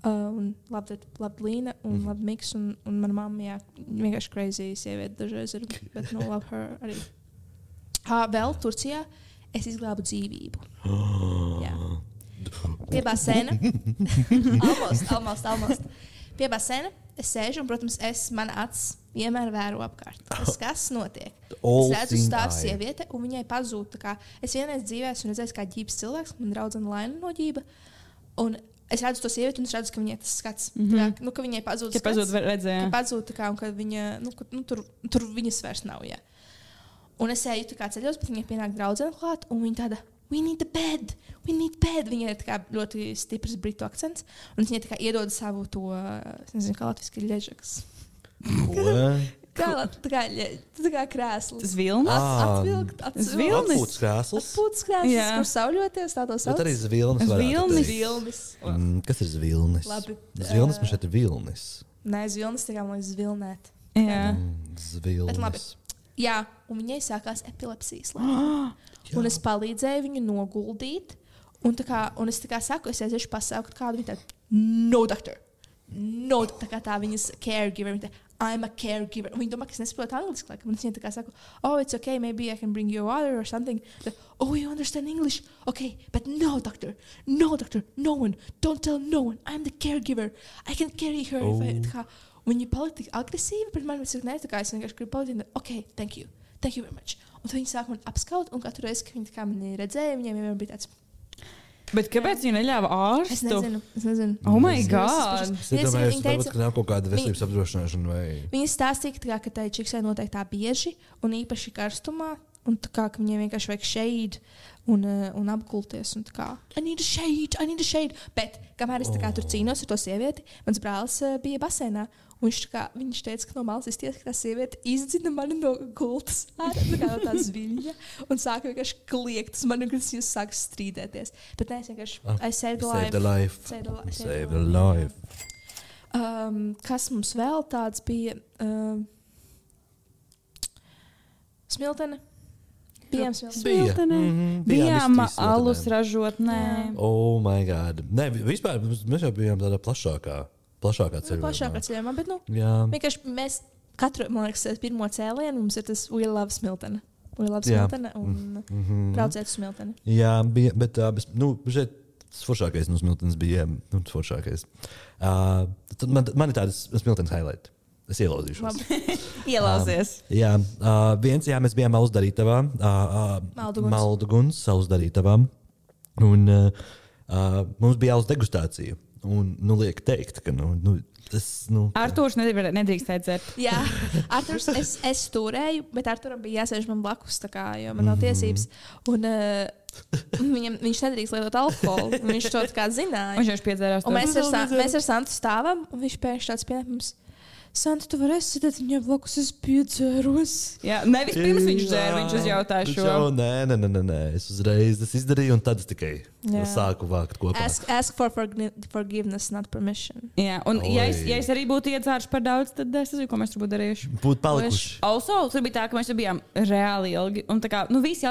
Un labi Līna un labi Miks. Un mana mamma, jā, vienkārši crazy sieviete dažreiz ir. Bet no love her arī. Vēl Turcijā es izglābu dzīvību. Jā. Pie basēna. Almost. Pie basēna es sēžu un, protams, mana acis vienmēr vēro apkārt. Kas notiek? Es redzu stāvu sieviete un viņai pazūd. Es vienreiz dzīvē esmu redzējis kā ģības cilvēks, man draudzene Laina no ģība. Un es redzu to sievieti un es redzu, ka viņai tas skats. Ka viņai pazūd skats. Ka pazūd un ka viņa, tur viņas vairs nav, jā. Un es eju ceļos, bet viņai pienāk draudzene klāt un viņa tāda, we need bed. Viņai ir ļoti stiprs britu akcents. Un viņai iedod savu to, es nezinu, kā latviski ļežaks. kā krēsls. Tas vilnis? Atpūtas krēsls. Kur sauļoties, tā to sauc. Bet arī zvilnis varētu teikt. Vilnis. Kas ir zvilnis? Labi. Zvilnis man šeit ir vilnis. Nē, zvilnis tā kā man liekas zvilnēt. Jā. Zvilnis. Bet labi. Jā, un viņai sākās epilepsijas lēma. Un es palīdzēju viņu noguldīt. Un es saku, es aiziešu pasaukt kādu. Viņa tāda, no doctor. No, tā viņas caregiver. Viņa tāda, I'm a caregiver. Un viņa domā, ka es nesaprotu angliski. Un es viņai saku, oh, it's okay, maybe I can bring your water or something. Oh, you understand English? Okay, but no, doctor, no one. Don't tell no one. I'm the caregiver. I can carry her. Oh. Viņa palika tik agresīva pret mani, es vienkārši gribu palikt. Okay, thank you very much. Un tad viņa sāka man apskaut, un katru reizi, kad viņa mani redzēja, viņiem vienmēr bija tāds. Bet kāpēc viņa neļāva ārstu? Es nezinu. Oh my God! Es domāju, ka nav kaut kāda veselības apdrošināšana vai... Viņa stāstīja, ka tai čiksai noteikti tā bieži, un īpaši karstumā, un ka viņiem vienkārši vajag shade un apgulties. Un I need a shade. Bet, kamēr es tur cīnos ar to sievieti, mans brālis bija basēnā. Viņš teica, ka no malas izties, ka tā sieviete izdzina mani no gultas no tā zviļņa un sāka vienkārši kliegt uz mani, un jūs sāka strīdēties. Bet nē, es vienkārši I saved the life. Save the life. Kas mums vēl tāds bija? Smiltene. Bijām Smiltenē. Bijām alus ražotnē. Oh my God. Nē, vispār mēs jau bijām tādā plašākā ceļojumā. Plašākā ceļojumā, bet vienkārši mēs katru, man liekas, pirmo cēlienu mums ir tas We Love Smiltene. We Love Smiltene un brauciet uz Smilteni. Jā, bija, bet šeit foršākais no Smiltenes bija foršākais. Man ir tādas Smiltenes highlight. Es ielauzīšos. Ielauzies. Mēs bijām Alsdarītavā. Malduguns, Alsdarītavā. Un mums bija alus degustācija. Un, liek teikt, ka, tas, Artūrs nedrīkstēja dzert. Jā, Artūrs, es turēju, bet Artūram bija jāsēž man blakus, jo man nav tiesības. Un viņš nedrīkst lietot alkoholu. Viņš to zināja. Viņš piedzērās. Un mēs ar Santu stāvam, un viņš pēkšņi tāds pieņemams. Santu, tu varēsi sēdēt viņai blakus, es piedzēros. Jā, nevis pirms viņš dzēra, viņš uzjautāja šo. Nē. Es uzreiz izdarīju, un tad es tikai sāku vākt kopā. Ask for forgiveness, not permission. Jā, un ja es arī būtu iedzēruši par daudz, tad es nezinu, ko mēs tur būtu darījuši. Būtu palikuši. Also, tur bija tā, ka mēs bijām reāli ilgi. Un tā kā, visi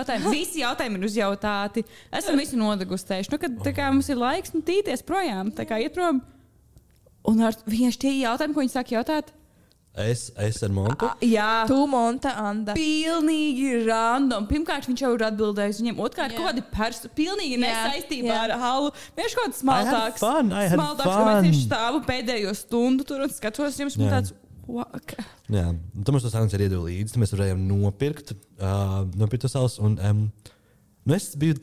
jautājumi ir uzjautāti. Esam visu nodegustējuši. Kad tā kā mums ir laiks tīties projām, tā kā iet prom. Un vienkārši tie jautājumi, ko viņi sāk jautāt? Es ar Montu? Jā. Tu, Monta, Anda. Pilnīgi random. Pirmkārt, viņš jau ir atbildējis viņiem. Otrkārt, kaut kādi pilnīgi nesaistībā ar halu. Viņš kaut kāds smaltāks. Smaltāks, ka mēs tieši stāvu pēdējo stundu tur un skatos jums. Man tāds, Jā. Tad mums to sankciju arī iedeva līdzi. Tad mēs varējām nopirkt to savus. Es biju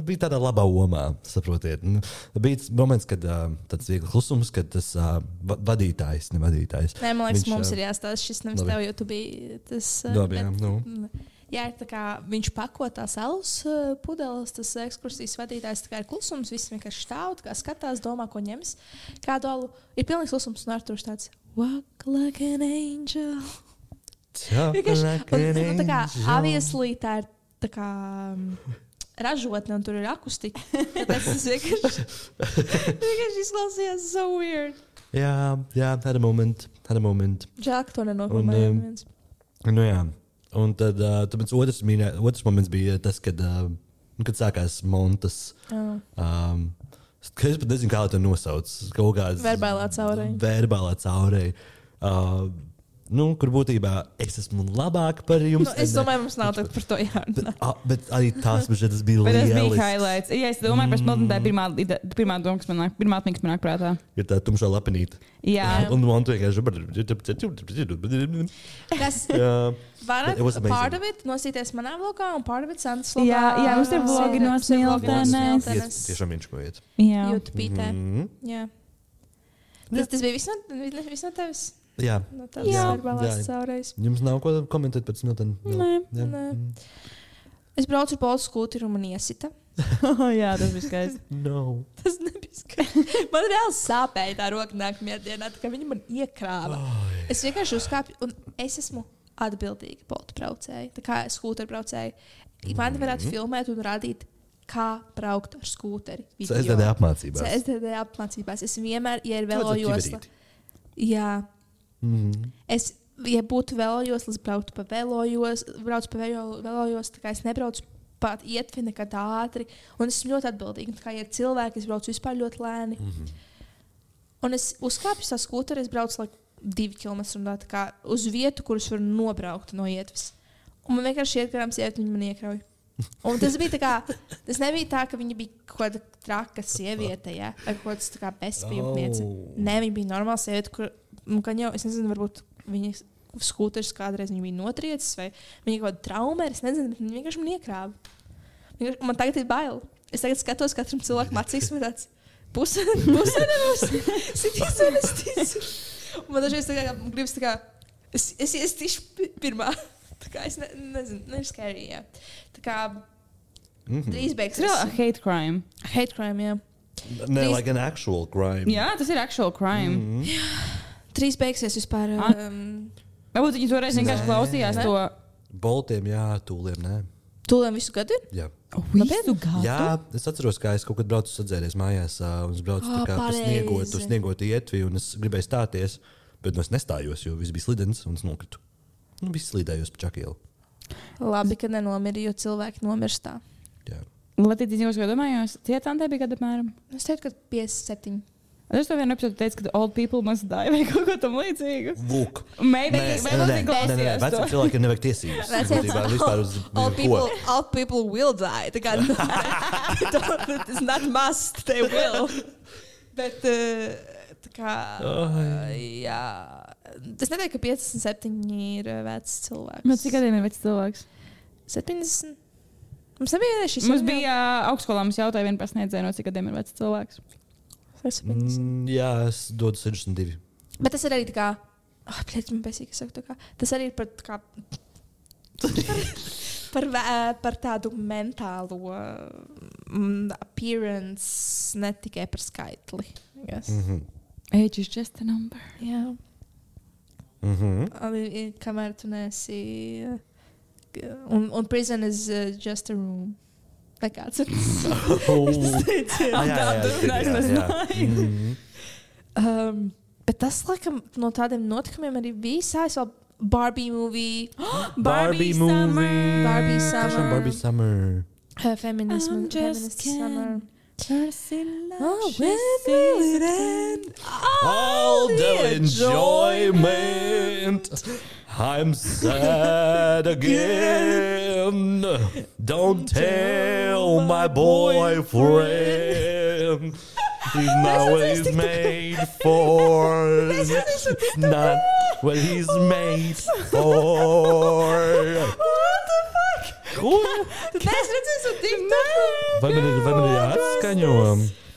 bija tādā labā omā, saprotiet. Bija moments, kad tāds viegli klusums, kad tas vadītājs. Nē, man liekas, mums ir jāstāsta šis nevis tev, jo tu biji tas. Jā, tā kā viņš pako tās alus pudeles, tas ekskursijas vadītājs, tā kā ir klusums, viss vienkārši stāv, kā skatās, domā, ko ņems. Kādu alu ir pilnīgs klusums, un Artūrs tāds walk like an angel. Un tā kā obviously tā ir tā kā ražotne, un tur ir akustika. Tāpēc tas vienkārši izklausījās so weird. Jā, had a moment. Žēl, ka to nenofilmēja. Un tad otrs moments bija tas, kad sākās montas. Es pat nezinu, kā to nosauc. Kaut kāds verbālā caurēja. Kur būtībā es esmu labāk par jums. Es domāju, mums nav par to jārunā. Bet arī tas bija lielisks. Tas bija highlights. Ja es domāju par Smilteni, tā ir pirmā doma, kas man nāk prātā. Ir tā tumšā lapenīte. Jā. Un man vienkārši... Part of it nosīties manā vlogā un part of it Santas vlogā. Jā, mums ir vlogi no Smiltenes. Tiešām viņš kojiet. Jā. YouTube-pītē. Jā. Tas bija viss no tevis? Jā. No tādas verbālās caurējas. Jums nav ko komentēt par Smilteni? Nē. Es braucu ar Polsu skūteri un man iesita. Jā, tas bija skaisti. No. Tas nebija skaisti. Man reāli sāpēja tā roka nākamajā dienā, tā kā viņi man iekrāva. Es vienkārši uzkāpju un es esmu atbildīga poltu braucēja. Tā kā skūteru braucēja. Man varētu filmēt un rādīt, kā braukt ar skūteri. CSDD apmācībās. CSDD apmācībās. Es vienmēr, ja ir velojosla. Jā. Es, ja būtu velojosla, es brauktu pa velojoslu, tā kā es nebraucu pat ietvi nekad ātri. Un es esmu ļoti atbildīga. Tā kā ja ir cilvēki, es braucu vispār ļoti lēni. Un es uzkāpju tā skūteri, es braucu 2 km tā kā uz vietu, kurus var nobraukt no ietves. Un man vienkārši iet garām sievieti, viņi man iekrauj. Un tas bija tā kā, tas nebija tā, ka viņa bija kaut kāda traka sieviete, ja? Vai kaut kāds tā kā bezpajumtniece. Nē, viņa bija normāla sieviete, kur, gan jau, es nezinu, varbūt viņa skūteris kādreiz viņa bija notriecis, vai viņa kaut kāda trauma, es nezinu, bet viņa vienkārši man iekrāva. Man tagad ir bail. Es tagad skatos katram cilvēkam acīs, man tāds pusenemus, sities un es ticu. Un man dažreiz tā kā gribas tā kā, es tišu pirmā. Tā kā es nezinu, ir scary, jā. Tā kā drīz beigsies. Tas ir hate crime. Hate crime, jā. Ne, like an actual crime. Jā, tas ir actual crime. Drīz beigsies vispār. Varbūt viņi toreiz vienkārši klausījās to. Boltiem, jā, tūliem, nē. Tūliem visu gadu ir? Jā. Visu gadu? Jā, es atceros, kā es kaut kad braucu sadzēries mājās, un es braucu tā kā pa sniegotu ietvi, un es gribēju stāties, bet es nestājos, jo viss bija slidens, un es nokritu. Viss slīdējos pa čakielu. Labi, ka nenomiri, jo cilvēki nomirstā. Jā. Latīti, zinās, ko domājos? Cietām te bija gada apmēram? Es teiktu, ka 57. Es to vienu epizodu teicu, ka old people must die vai kaut ko tam līdzīgu. Lūk. Maybe. Nē, veciem cilvēkiem nevajag tiesības. Old people will die. Tā kā, it's not must, they will. Bet, tā kā, jā. Es neteiktu, ka 57 ir vecs cilvēks. Bet cik gadiem ir vecs cilvēks? 70. Mums nebija šis. Mums bija augstskolā, mums jautāja vienu pasniedzēju, no cik gadiem ir vecs cilvēks. Jā, es dodu 62. Bet tas ir arī tā kā, man pēcīgi saku tā kā, tas arī ir par tā kā, par tādu mentālo appearance, ne tikai par skaitli. Yes. Age is just a number. Jā. Kamēr tu nesi, un prison is just a room. Vai kāds ir bet tas, laikam, no tādiem notikumiem arī bija vēl Barbie movie. Barbie movie. Barbie Summer. Feminism Summer. Oh, when will it end? All the enjoyment. I'm sad again. Don't tell my boyfriend. He's not what he's made for. Not what he's made for. What the fuck? Ko? Tad es redzēju TikToku. Vai man ir jāatskaņo?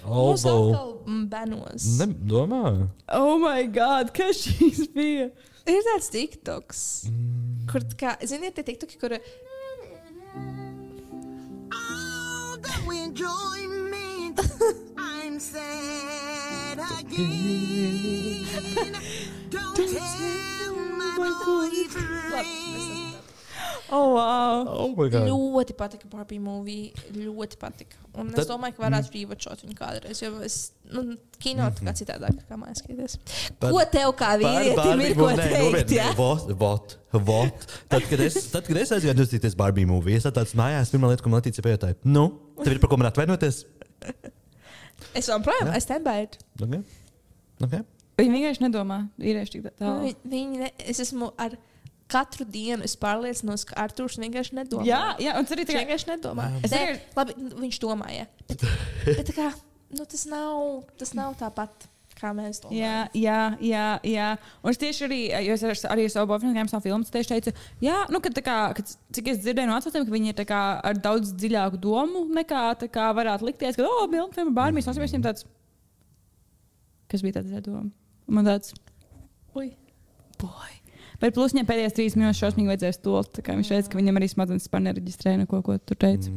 Mums atkal benos. Domā? Oh my God, kas šīs bija? Ir tāds TikToks, kur, kā, ziniet, tie TikToki, kur... All the enjoyment, I'm sad again. Don't tell my boyfriend. Oh, wow. Oh my God. Ļoti patika Barbie movie. Ļoti patika. Un es domāju, ka varētu rīvočot viņu kādreiz. Jo es kino tā kā citādāk kā mājās skaties. Ko tev kā vīrietim ir ko teikt? Ja? Vot. Tad, kad es aizgāju noskatīties Barbie movie, es tāds mājās, pirmā lieta, ko man Letīcija pajautāja, tev ir par ko man atvainoties? Es joprojām, es stand by it. Okay. Viņi vienkārši nedomā. Vīrieši tik tālu. Es esmu ar katru dienu, es pārliecinos, ka Artūrs vienkārši nedomā. Jā, un tas arī Viņš vienkārši nedomā. Labi, viņš domāja. Bet tā kā, tas nav tāpat, kā mēs domājam. Jā. Un es tieši arī, jo es arī savu boyfriendu savu filmu tieši teicu, ka cik es dzirdēju no atsaucējiem, ka viņi ir tā kā ar daudz dziļāku domu nekā tā kā varētu likties, ka, filma Barbie, es viņiem tāds, kas bija tāds doma? Un man tāds, boy. Bet plus viņam pēdējās 3 minūtes šausmīgi vajadzēja stult, tā kā viņš teica, ka viņam arī smadzenes par nereģistrē neko, ko tur teica.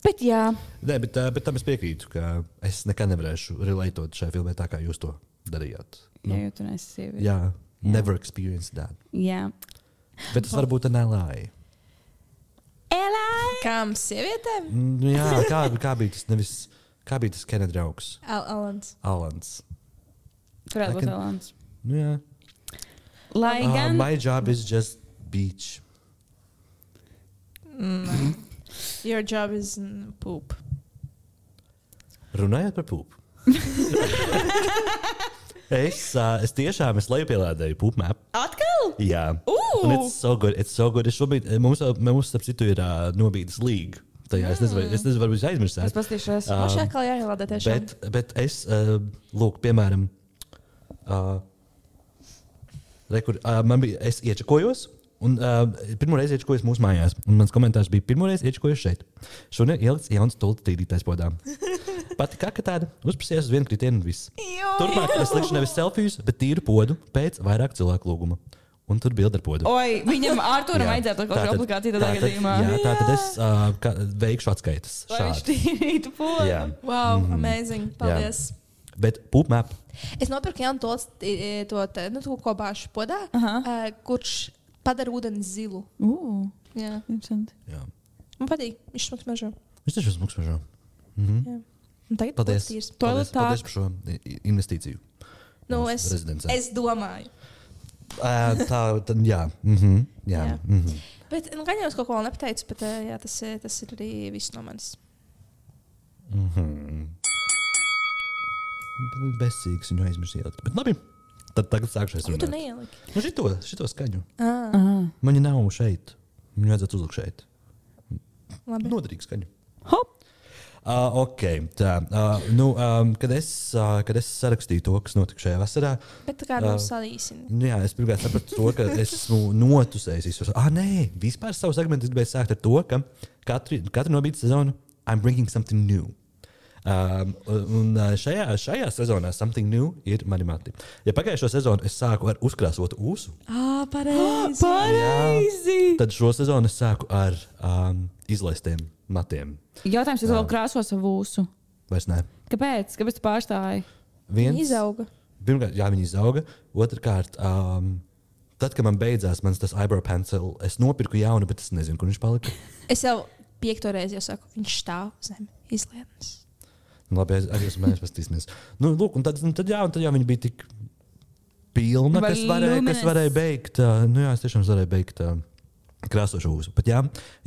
Bet jā. Nē, bet tam es piekrītu, ka es nekad nevarēšu relatot šai filmai tā, kā jūs to darījāt. Jā, jo tu neesi sieviete. Jā, never experienced that. Jā. Bet tas varbūt an L.I. Kām sievietēm? Jā, kā bija tas kā bija tas Kenneth draugs? Alans. Varētu būt Alans. Jā. Lai gan... My job is just beach. Your job is poop. Runājot par poop. es tiešām lejupielādēju poop map. Atkal? Jā. Un it's so good. Es šobrīd, mums starp citu ir nobīdes līga. Tajā es nezinu, varbūt jūs aizmirsāt. Es pastīšos. Šā kā jāielādē tiešām. Bet es, lūk, piemēram, es iečakojos, un pirmo reizi iečakojos mūsu mājās. Un mans komentārs bija, pirmo reizi iečakojos šeit. Šodien ielikts jauns tulta tīrītais podām. Pati kaka tāda, uzprasījās uz vienu kritienu un viss. Turpmāk es likšu nevis selfijas, bet tīru podu pēc vairāk cilvēku lūguma. Un tur bildi ar podu. Oi, viņam Artūram vajadzētu kaut kādu aplikāciju tādā gadījumā. Jā, tātad es veikšu atskaitas. Lai viņš tīrītu podu. Jā. Wow, amazing. Paldies. Jā. Bet poop map. Es nopirku jaunu to ko bāšu podā, kurš padara ūdeni zilu. Jā. Interesanti. Jā. Man patīk. Viņš smuks mežo. Viņš taču smuks mežo. Jā. Un tagad Paldies. Paldies Paldies par šo investīciju. Es domāju. Jā. Jā. Bet gan jau es kaut ko vēl nepateicu, bet jā, tas ir arī viss no manis. Besīgs viņu aizmirst ielikt. Bet labi, tad tagad sākšais runāt. Ko tu neieliki? Šito skaņu. Ah. Man nav šeit. Viņu vajadzētu uzlikt šeit. Labi. Noderīgi skaņu. Hop! Ok, tā. Kad es sarakstīju to, kas notika šajā vasarā. Bet tā kā salīsini. Jā, es pirmkārt sapratu to, ka es esmu notusējis. Nē, vispār savu segmentu es gribēju sākt ar to, ka katru nobīdes sezonu I'm bringing something new. Un šajā sezonā something new ir mani mati. Ja pagājušo sezonu es sāku ar uzkrāsotu ūsu. Pareizi. Pareizi! Tad šo sezonu es sāku ar izlaistiem matiem. Jautājums, vai tu vēl krāso savu ūsu? Vairs nē. Kāpēc? Kāpēc tu pārstāji? Viņi izauga. Pirmkārt, jā, viņi izauga. Otrkārt, tad, kad man beidzās mans tas eyebrow pencil, es nopirku jaunu, bet es nezinu, kur viņš palika. Es jau 5. reizi jau saku, viņš stāv zem izlietnes. Labi, mēs pastīsimies. Lūk, un tad viņi bija tik pilna, kas varēja beigt. Es tiešām varēju beigt krāsošu ūsu. Bet jā,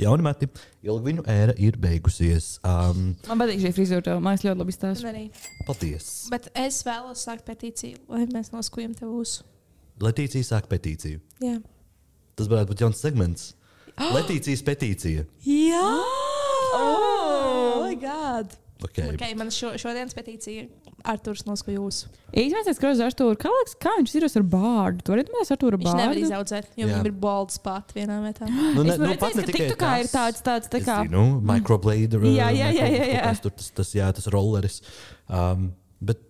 jauni mati, ilgviņu ēra ir beigusies. Man patīk šī frizūra, man ļoti labi stāsta. Paldies. Bet es vēlos sākt petīciju, lai mēs noskujam tev ūsu. Letīcija sāk petīciju. Jā. Tas varētu būt jauns segments. Letīcijas petīcija. Jā! Oh my God! Okay, man šodienas petīcija ir Artūrs noskuja ūsu. Īstenībā es skatos Artūru, kā viņš ir ar bārdu. Tu vari domāt, Artūra bārdu? Viņš nevar izaudzēt, jo viņam ir bald spot vienā vietā. Es redzēju, ka TikTokā ir tāds tā kā... Microblader. Jā. Tas rolleris. Bet,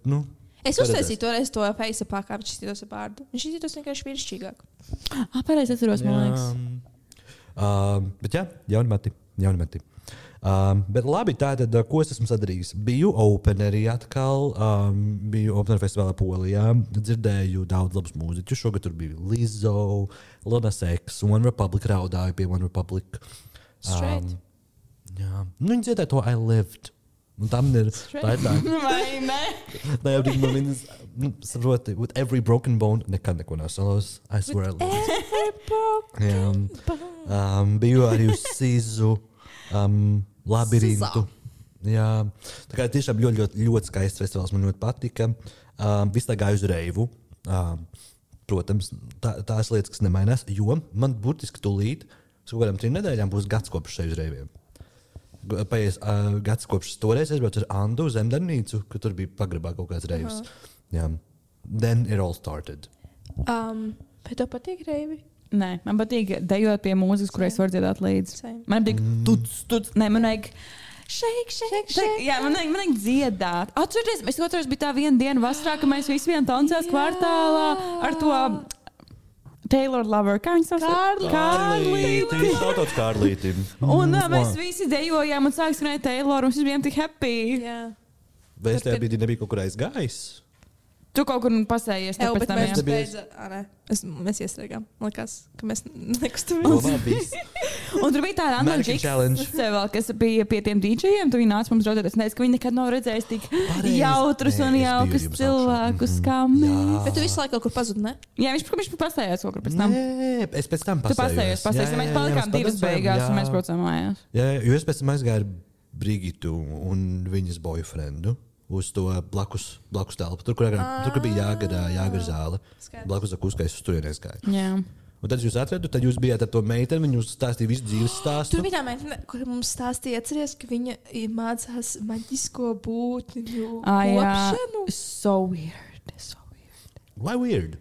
es uztaisīju toreiz to face-upā, kā viņš izskatos ar bārdu. Viņš izskatos vienkārši vīrišķīgāk. Pareizi atceros, man liekas. Bet jā, jauni mati. Bet labi, tātad, ko es esmu sadarījis? Biju openerī atkal, biju opener festivālā Polijā, dzirdēju daudz labus mūziķus. Šogad tur bija Lizzo, Lil Nas X, One Republic raudāju pie One Republic. Straight. Jā, viņi dziedāja to I Lived. Un tam ir tā. Vai ne? Tā jau bija no viņas, saproti, with every broken bone, nekad neko nav solos. I swear I lived. Jā. Biju arī uz Sizu, Labirintu. Jā. Tā kā tiešām ļoti skaists festivāls, man ļoti patika. Viss tā gāja uz reivu. Protams, tās lietas, kas nemainās, jo man burtiski tūlīt, kaut kādām 3 nedēļām būs gads kopš šeit uz reiviem. Paies gads kopš toreiz aizbraucu ar Andu uz Zemdarbnīcu, kad tur bija pagrabā kaut kāds reivs. Jā. Then it all started. Vai tev patīk reivi? Nē, man patīk dejot pie mūzikas, kurai es varu dziedāt līdzi. Same. Man patīk tuts. Nē, man vajag shake. Jā, man vajag dziedāt. Atcerieties, es otrais bija tā viena diena vasarā, ka mēs visi vien tancējās kvartālā ar to Taylor Lover. Kā viņas sauc? Kārlīti. Šautots Kārlītim. Un mēs visi dejojām un sāk skanēt Taylor, un mēs bijām tik happy. Jā. Vai es tajā brīdī nebija kaut kur aizgājis? Tu kaut kur pasējies. Jā, bet mēs jā. beidzām. Mēs iestrēgām. Man liekas, ka mēs nekustamies. Un tur bija tāda Anna American Challenge. Džiks, kas bija pie tiem DJiem. Tu viņi nāca mums raudāt. Es nezinu, ka viņi nekad nav redzējis tik jautrus un jaukus cilvēkus kā mēs. Bet tu visu laiku kaut kur pazudi, ne? Jā, viņš pasējās kaut kur pēc tam. Nē, es pēc tam Tu pasējos. Mēs palikām 2 beigās un mēs braucām mājās. Jā, jo es pēc tam aizgāju ar Brigitu un viņas boyfriendu uz to blakus telpu. Tur, kur bija Jāgara zāle. Blakus akuskai es uz turienies gāju. Jā. Un tad jūs atradu, tad jūs bijāt ar to meiteni, viņa jūs stāstīja visu dzīves stāstu. Tur bija tā meitene, kur mums stāstīja, atceries, ka viņa mācās maģisko būtņu kopšanu. So weird. Why weird?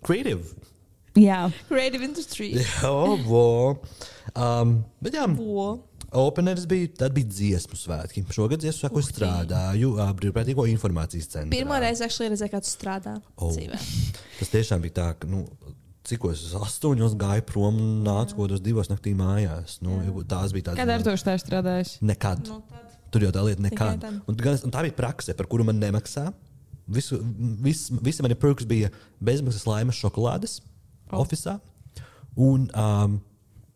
Creative. Jā. Creative industry. Bet jā, openeris bija dziesmu svētki. Šogad dziesmu svētku strādāju brīvprātīgo informācijas centrā. Pirmo reizi redzēju, kā tu strādā dzīvē. Tas tiešām bija tā, ka, cikos es 8 gāju prom un nācu kaut kādos 2 naktī mājās. Tās bija tādas. Kad ar to strādājuši? Nekad. Tur jau tā lieta nekad. Un tā bija prakse, par kuru man nemaksā. Visi mani perks bija bezmaksas laimes šokolādes ofisā un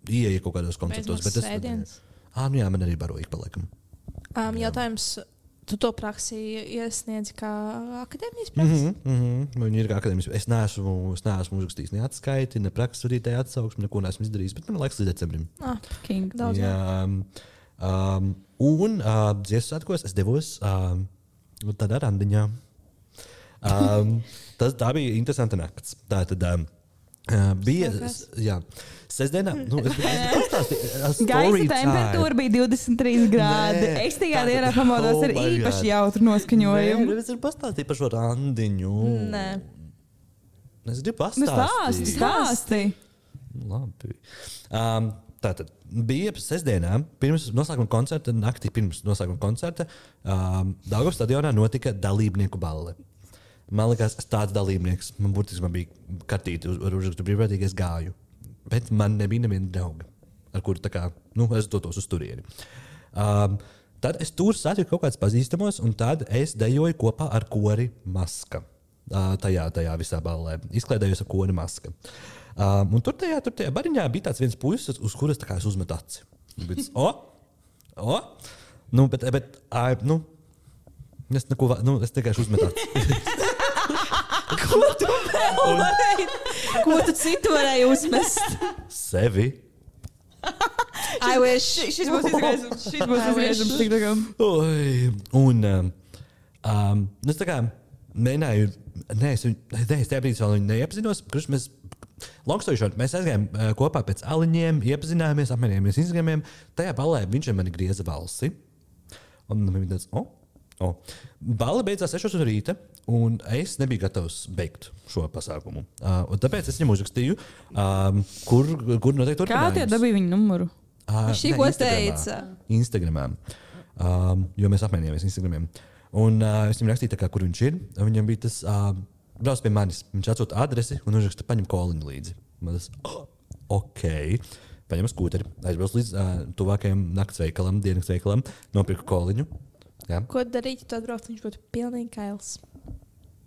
ieeja kaut kādos koncertos. Bezmaksas Jā, man arī baroīgi paliekam. Jautājums, tu to praksi iesniedzi kā akadēmijas praksi? Viņi ir kā akadēmijas. Es neesmu uzrakstījis ne atskaiti, ne praksturītēji atsauksmi, neko neesmu izdarījis, bet man laiks līdz decembrim. King. Daudz. Jā. Un dziesmu svētkos es devos tādā randiņā. Tā bija interesanta nakts. Tātad bija sestdienā. Gaisa temperatūra bija 23 grādi. Es tajā dienā pamodos ar īpaši jautru noskaņojumu. Es gribu pastāstīt par šo randiņu. Nē. Es gribu pastāstīt. Stāsti. Labi. Tātad bija sestdienā, pirms noslēguma koncerta, naktī pirms noslēguma koncerta, Daugavas stadionā notika dalībnieku balle. Man liekas, es tāds dalībnieks, man burtiski bija kartīti ar uzrakstu brīvprātīgi, es gāju. Bet man nebija neviena drauga, ar kuru es dotos uz turieni. Tad es tur satiku kaut kādus pazīstamos, un tad es dejoju kopā ar kori Maska. Tajā visā ballē. Izklaidējos ar kori Maska. Un tur tajā bariņā bija tāds viens puisis, uz kuras es uzmetu aci. Bet, es tikai uzmetu aci. Ko tu citu varēji uzmest? Sevi. I wish. Šis būs izgriežams. Un es tā kā mēģināju, es tajā brīdī vēl viņu neiepazinos, kurš mēs aizgājām kopā pēc aliņiem, iepazināmies, apmainījāmies Instagramiem. Tajā ballē viņš mani grieza balsi. Un viņš tāds, Balle beidzās 6 no rīta, un es nebiju gatavs beigt šo pasākumu. Un tāpēc es viņam uzrakstīju, kur noteikti turpinājums. Kā tie dabīja viņu numuru? Šī ko teica? Instagramā. Jo mēs apmainījāmies Instagramiem. Un es viņam rakstīju, kur viņš ir. Viņam bija tas, brauc pie manis. Viņš atsūta adresi un uzraksta, paņem koliņu līdzi. Man tas, ok. paņēmu skūteri, aizbraucu līdz tuvākajam nakts veikalam, dienas veikalam, nopirku koliņu. Jā. Ko darīt, ja tu atbrauc, viņš būtu pilnīgi kails.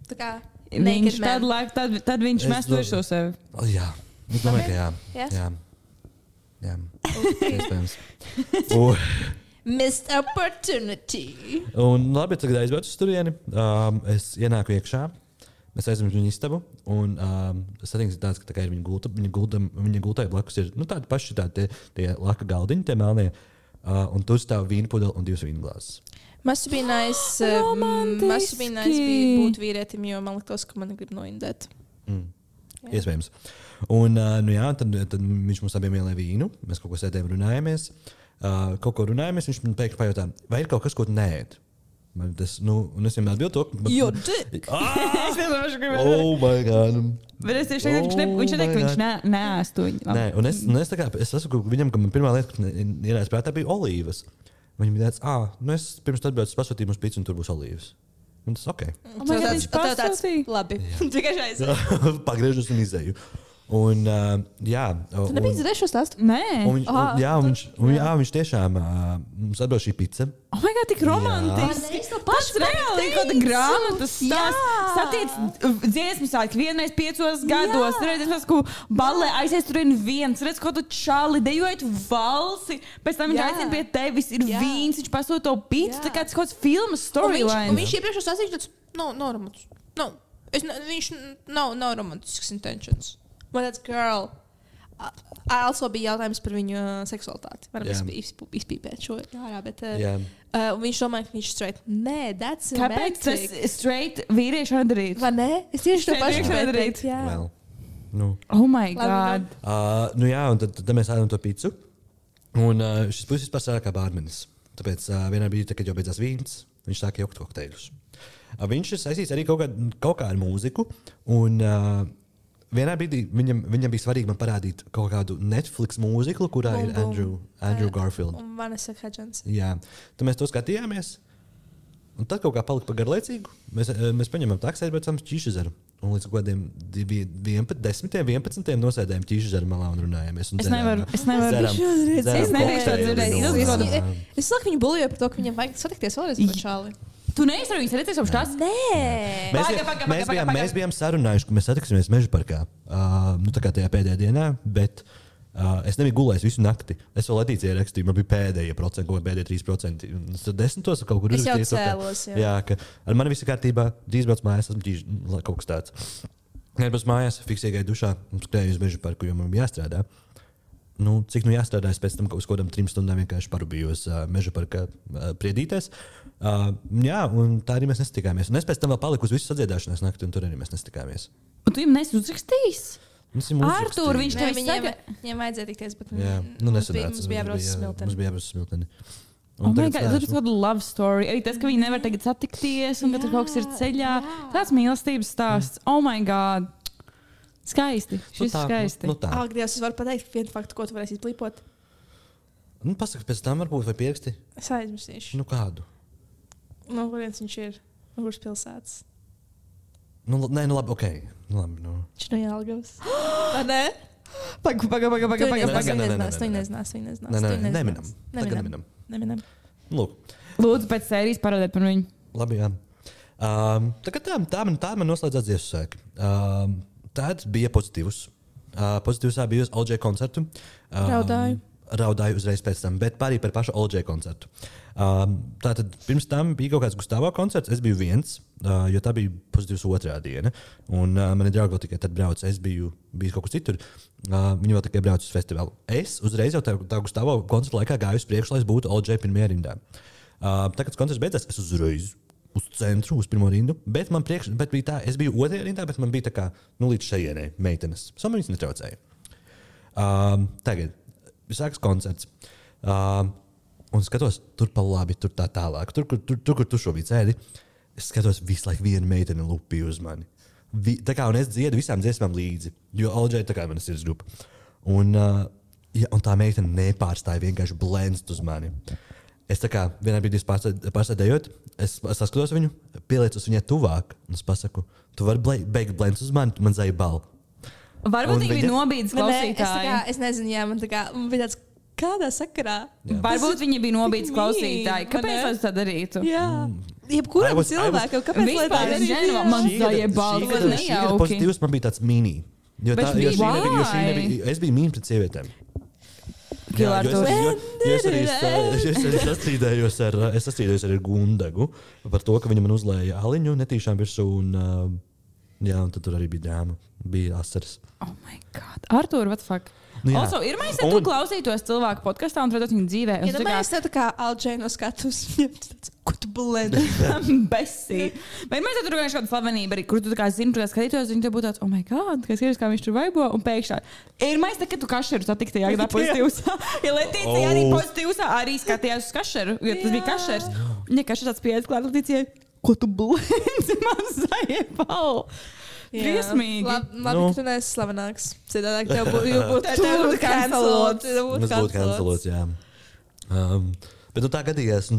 Tā kā Viņš tad viņš mēs to visu sevi. Jā, es domāju, ka jā. Jā? Jā. Iespējams. Missed opportunity. Un labi, tagad aizbraucu uz turieni. Es ienāku iekšā. Mēs aizjām uz viņu istabu. Un satiksmes ir tāds, ka tā ir viņa gultai blakus ir tādi paši tie laka galdiņi, tie melnie. Un tur stāv vīna pudele un 2 vīna glāzes. Must be nice būt vīrietim, jo man liktos, ka man grib noindēt. Iespējams. Un tad viņš mums abiem ielēja vīnu. Mēs kaut ko sēdējām runājāmies. Viņš man pēkšņi pajautā, vai ir kaut kas, ko tu neēd? Un es viņam atbildu to, ka... Jo, dick! Oh my God! Bet es tieši viņš neteikt, ka viņš neēstu viņu. Nē, un es sasaku viņam, ka man pirmā lieta, kas ienāca prātā, bija olīvas. Viņam bija tāds, es pirms atbraucu pasūtīju mums picu un tur būs olīvas. Un tas ok. Viņš pasūtīja. Labi. Tikai aiziet. Pagriežos un izēju. Un, jā. Tu nebija dzirdējis šo stāstu? Nē. Viņš tiešām mums atbrauc šī pica. Oh my God, tik romantiski. Pats reāli kaut kāda grāmatas stāsts. Satiec dziesmu sāki vienreiz 5 gados. Redz, es esmu ballē aizies tur viens. Redz, kaut tu čali dejojot valsi. Pēc tam viņš aicina pie tevis. Ir vīns, viņš pasūta to picu. Tā kā tas kaut kāds filmas storyline. Un viņš iepriekš stāstīja, ka nav romantisks. Viņš nav romantisks intentions. Man tāds, girl. Also bija jautājums par viņu seksualitāti. Varam izpīpēt šo ārā, bet viņš domāja, ka viņš straight. Nē, that's romantic. Kāpēc tas straight vīrieši nedarīt? Vai ne? Es tieši to pašu nedarīt. Well, Oh my God. Un tad mēs ēdam to picu. Un šis puisis pasāka kā bārmenis. Tāpēc vienā brīdī, kad jau beidzās vīns, viņš sāka jaukt kokteļus. Viņš ir saistīts arī kaut kā ar mūziku. Un vienā brīdī viņam bija svarīgi man parādīt kaut kādu Netflix mūziklu, kurā ir Andrew Garfield. Un Vanessa Hudgens. Jā. Tad mēs to skatījāmies. Un tad kaut kā palika par garlaicīgu. Mēs paņemam taksi, aizbraucam uz Ķīšezeru. Un līdz kādiem 11. nosēdējām Ķīšezeru malā un runājāmies. Un Es nevaru. Es saku, viņu buljoju par to, ka viņam vajag satikties vēlreiz par šāli. Tu neesi ar viņu sarīties jau šās? Nē. Mēs bijām sarunājuši, ka mēs satiksimies Meža parkā. Tā kā tajā pēdējā dienā, bet es nebiju gulējis visu nakti. Es vēl Latīcijai rakstīju, man bija pēdējie procenti, kaut kā pēdējie 3%. Tad 10. kaut kur es jau cēlos. Jā, ka ar mani viss ir kārtībā, drīz brauc mājās, esmu kaut kas tāds. Kad brauc mājās, fiksīgai dušā, skrēju uz Meža parku, jo man bija jāstrādā. Cik jāstrādā, es pēc tam uz kaut kādām 3 stundām vienkārši parubījos Meža parkā priedīties. Jā, un tā arī mēs nesatikāmies. Un es pēc tam vēl paliku uz visu sadziedāšanās nakti, un tur arī mēs nesatikāmies. Un tu viņam nesi uzrakstījis? Artur, viņš to saka. Viņam vajadzēja tikties, bet mums bija jābrauc uz Smilteni. Mums bija jābrauc uz Smilteni. Oh my God, tas ir kāda love story. Arī tas, ka viņi nevar tagad satikties, un ka tur kaut kas ir ceļā. Tāds mīlestības stāsts. Oh my God. Skaisti. Šis ir skaisti. Ak, Dievs, es varu pateikt vienu faktu, ko tu varēsi izplīpot. Pasaka, pēc tam varbūt vai pieraksti? Es aizmirsīšu. Kādu? No kurienes viņš ir? No kuras pilsētas? Nē, labi, ok. Viņš no Jelgavas. Vai ne? Neminam. Lūdzu, pēc sērijas parādēt par viņu. Labi, jā. Tā man noslēdzās dziesmu sēki. Tad bija pozitīvs. Pozitīvs bija uz LJ koncertu. Raudāju uzreiz pēc tam, bet arī par pašu LJ koncertu. Tātad pirms tam bija kaut kāds Gustavo koncerts. Es biju viens, jo tā bija pozitīvs otrā diena. Un mani draugi tikai tad brauca. Es biju kaut kur citur. Viņi vēl tikai brauca uz festivālu. Es uzreiz jau tā Gustavo koncerta laikā gāju uz priekšu, lai es būtu LJ pirmajā rindā. Tad, kad koncerts beidzās, es uzreiz uz centru, uz pirmo rindu. Bet bija tā, es biju otrajā rindā, bet man bija tā kā līdz šejienei meitenes. Man viņas netraucēja. Tagad sākas koncerts. Un skatos, tur pa labi, tur tā tālāk. Tur, kur tu šobrīd sēdi, es skatos visu laiku vienu meiteni lupīju uz mani. Un es dziedu visām dziesmām līdzi, jo LJ tā kā mana sirds grupa. Un tā meitene nepārstāja vienkārši blendst uz mani. Es tā kā vienā brīdī pārsēdējot, es saskatos viņu, pieliecos viņai tuvāk, un es pasaku, tu vari beigt blendst uz mani, tu man zai balu. Varbūt viņi bija nobīdes Man klausītāji. Es nezinu, jā, man bija tāds, kādā sakarā. Varbūt viņi bija nobīdes Mean, klausītāji. Kāpēc vai ne? lai tā darītu? Jā. Jebkuram cilvēkam, kāpēc lai tā Vispār es darītu? nezinu, man zajebās, Šī gada pozitīvs man bija tāds mini. Jo Bet šī why? nebija, es biju mīn pret sievietēm. Kilā ar to. Es arī sastrīdējos ar Gundagu par to, ka viņa man uzlēja aliņu netīšām virsū. Un tad tur arī bija dāma. Bija asaras. Oh my god. Artur, what the fuck? Also, ir mēs, ja tu klausītos cilvēku podkastā un redzot viņu dzīvē. Ja domāju, tā kā Alģēna no skatus, ko tu blēdi? Besī. Bet mēs tur vienkārši kādu slavenību arī, kur tu tā kā zini, tu kā skatītos, viņi te būtu tāds, oh my god, kā skaties, kā viņš tur vaibo, un pēkšņi. Ir mēs tā, ka tu kašeru satikti, jā, tā pozitīvs. Ja Letīcija arī pozitīvs, arī skatījās uz kašeru, jo tas bija kašers. Ja kašers tāds pieejas klāt Letīcijai, ko tu blēdi, man zajebal. Briesmīgi. Labi, ka tu neesi slavenāks. Citādāk tev būtu cancelots. Mēs būtu cancelots, jā. Bet tā gadījās,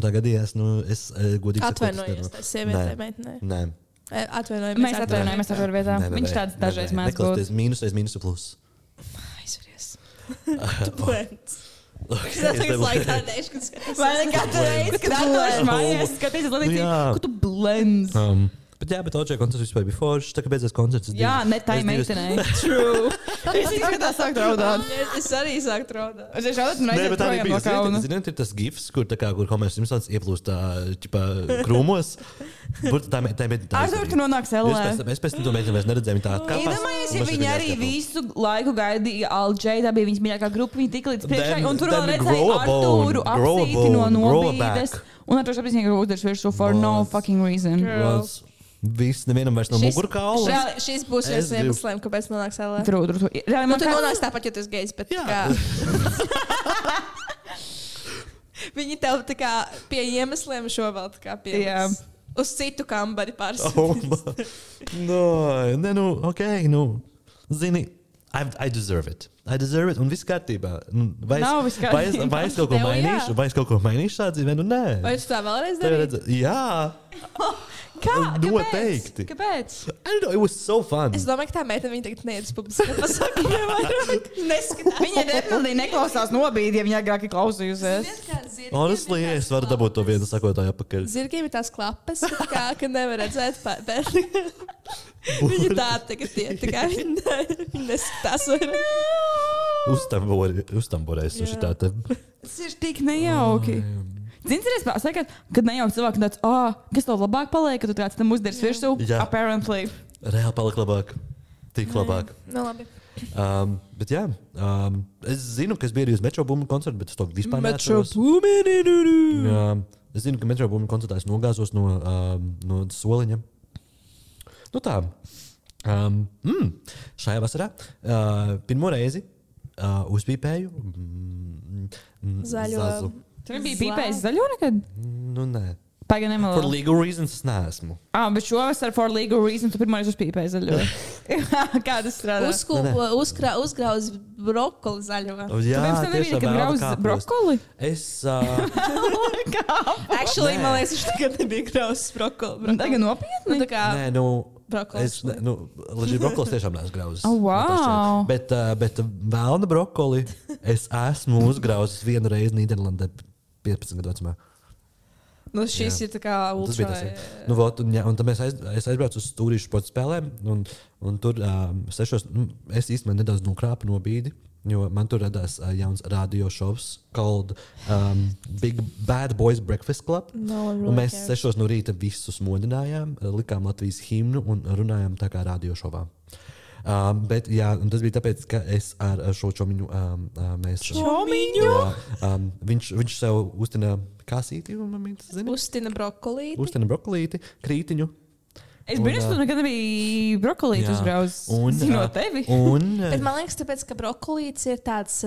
es godīgi atvainojos, tā sievietē, meitenē. Nē. Atvainojamies. Mēs atvainojamies ar vietā. Viņš tāds dažreiz mēdz būt. Neklausties mīnus plus. Aizveries. Tu blēdz. Tas tagad laikā neškas. Vai nekādu reizi, kad atdošu mājās, skatīsies Letīcija, ko tu blēdz? Bet Očē koncerts vispār bija foršs, tā kā beidzās koncerts. Jā, ne tai meitenei. True. Es izskatās sākt raudāt. Es arī sāktu raudāt. Es raudāt un aiziet projām no kauna. Ziniet, ir tas gifs, kur Homer Simpsons ieplūst krūmos. Artur, tu nonāks ellē. Es pēc tam to meiteni vairs neredzēju. Iedomājies, ja viņi arī visu laiku gaidīja Alģei, tā bija viņas mīļākā grupa, viņi tika līdz priekšai, un tur vēl redzēja Arturu apsīti no nobīdes. Un Arturs apsīti viņa grūders virsū for no fucking reason. Viss, nevienam vairs no mugurkaula. Šis būs viens no iemesliem, kāpēc nonāks ellē. True. Nu, tu nonāks tāpat, jo tu esi gejs, bet kā... Viņi tev tā kā pie iemesliem šo vēl tā kā pievis. Uz citu kambari pārstāvjums. Zini, I deserve it. Un viss kārtībā. Vai es kaut ko mainīšu šādā dzīvē? Nē. Vai tu tā vēlreiz darīji? Jā. Kā? Noteikti. Kāpēc? I don't know, it was so fun. Es domāju, ka tā meitene viņa tagad neiet uz publiskā pasākumiem vairāk. Neskatās. Viņa nepildīgi neklausās nobīdi, ja viņa agrāk ir klausījusies. Honestly, es varu dabūt to vienu sakotāju apakaļ. Zirgiem ir tās klapes, ka nevar redzēt pēc. Viņa tā tagad iet, tā kā viņa neskatās vairāk. Uztamborēs uz šitā te. Tas ir tik nejauki. Zini, kad nejauki cilvēki tāds, kas tev labāk paliek, kad tu tāds tam uzderis virsū? Apparently. Reāli palika labāk. Tik labāk. Nu, labi. Bet jā, es zinu, ka es biju arī uz Metro Boomin koncertu, bet es to vispār neatceros. Es zinu, ka Metro Boomin koncertā es nogāzos no soliņa. Nu tā. Šajā vasarā pirmo reizi uzpīpēju zazu. Tu bija pīpējis zaļo nekad? Nu, nē. Pagaid nemelo. For legal reasons es neesmu. Bet šovasar for legal reasons tu pirmoreiz uzpīpēji zaļo. Kā tas strādā? Uzgrauz brokoli zaļo. Jā, tu nebija, kad grauz brokoli? Es... Actually, man liekas, viņš tagad nebija grauzis brokoli. Tagad nopietni? Nē, nu... Brokolis. Leģit brokolis tiešām neesmu grauzis. Oh, wow. Bet vēlna brokoli es esmu uzgrauzis vienu reizi Nīderlandē 15 gadu vecumā. Nu, šis ir tā kā ultra. Un tad es aizbraucu uz stūrīšu sporta spēlēm, un tur es īstenībā nedaudz nokrāpu no bīdi, jo man tur radās jauns radio šovs called Big Bad Boys Breakfast Club. Un mēs 6 no rīta visus modinājām, likām Latvijas himnu un runājām tā kā radio šovā. Bet jā, un tas bija tāpēc, ka es ar šo čomiņu Čomiņu? Viņš sev uztina kasīti, Uztina brokolīti. Uztina brokolīti, krītiņu. Es biju, tu nekad nebija brokolīti uzgrauzis. Zinot tevi. Bet man liekas, tāpēc, ka brokolīts ir tāds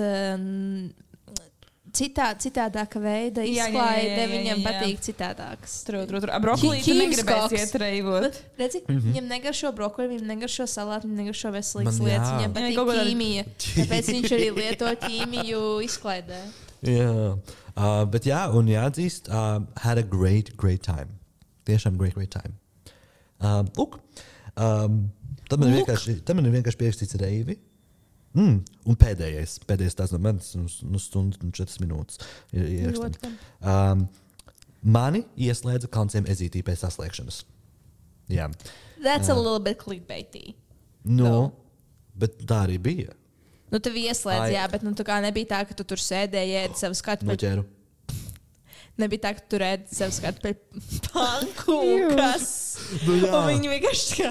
citādāka veida izklaide, viņam patīk citādāks. Brokolīti negribēs iet reivot. Redzi, viņam negaršo brokoli, viņam negaršo salātu, viņam negaršo veselīgas lietas, viņam patīk ķīmija. Tāpēc viņš arī lieto ķīmiju izklaidē. Jā, bet jā, un jāatzīst, had a great time. Tiešām great time. Lūk, tad man ir vienkārši pierakstīts reivi. Un pēdējais tās no manis stundu un 4 minūtes ir ierakstām. Mani ieslēdza kalnciem ezītī pēc saslēgšanas. Jā. That's a little bit clickbaity. No, bet tā arī bija. Nu, tev ieslēdz, jā, bet tā kā nebija tā, ka tu tur sēdēji, ēdi savu skatu. Noķēru. Nebija tā, ka tu ēdi savu skatu pēc pankūkas. Un viņi vienkārši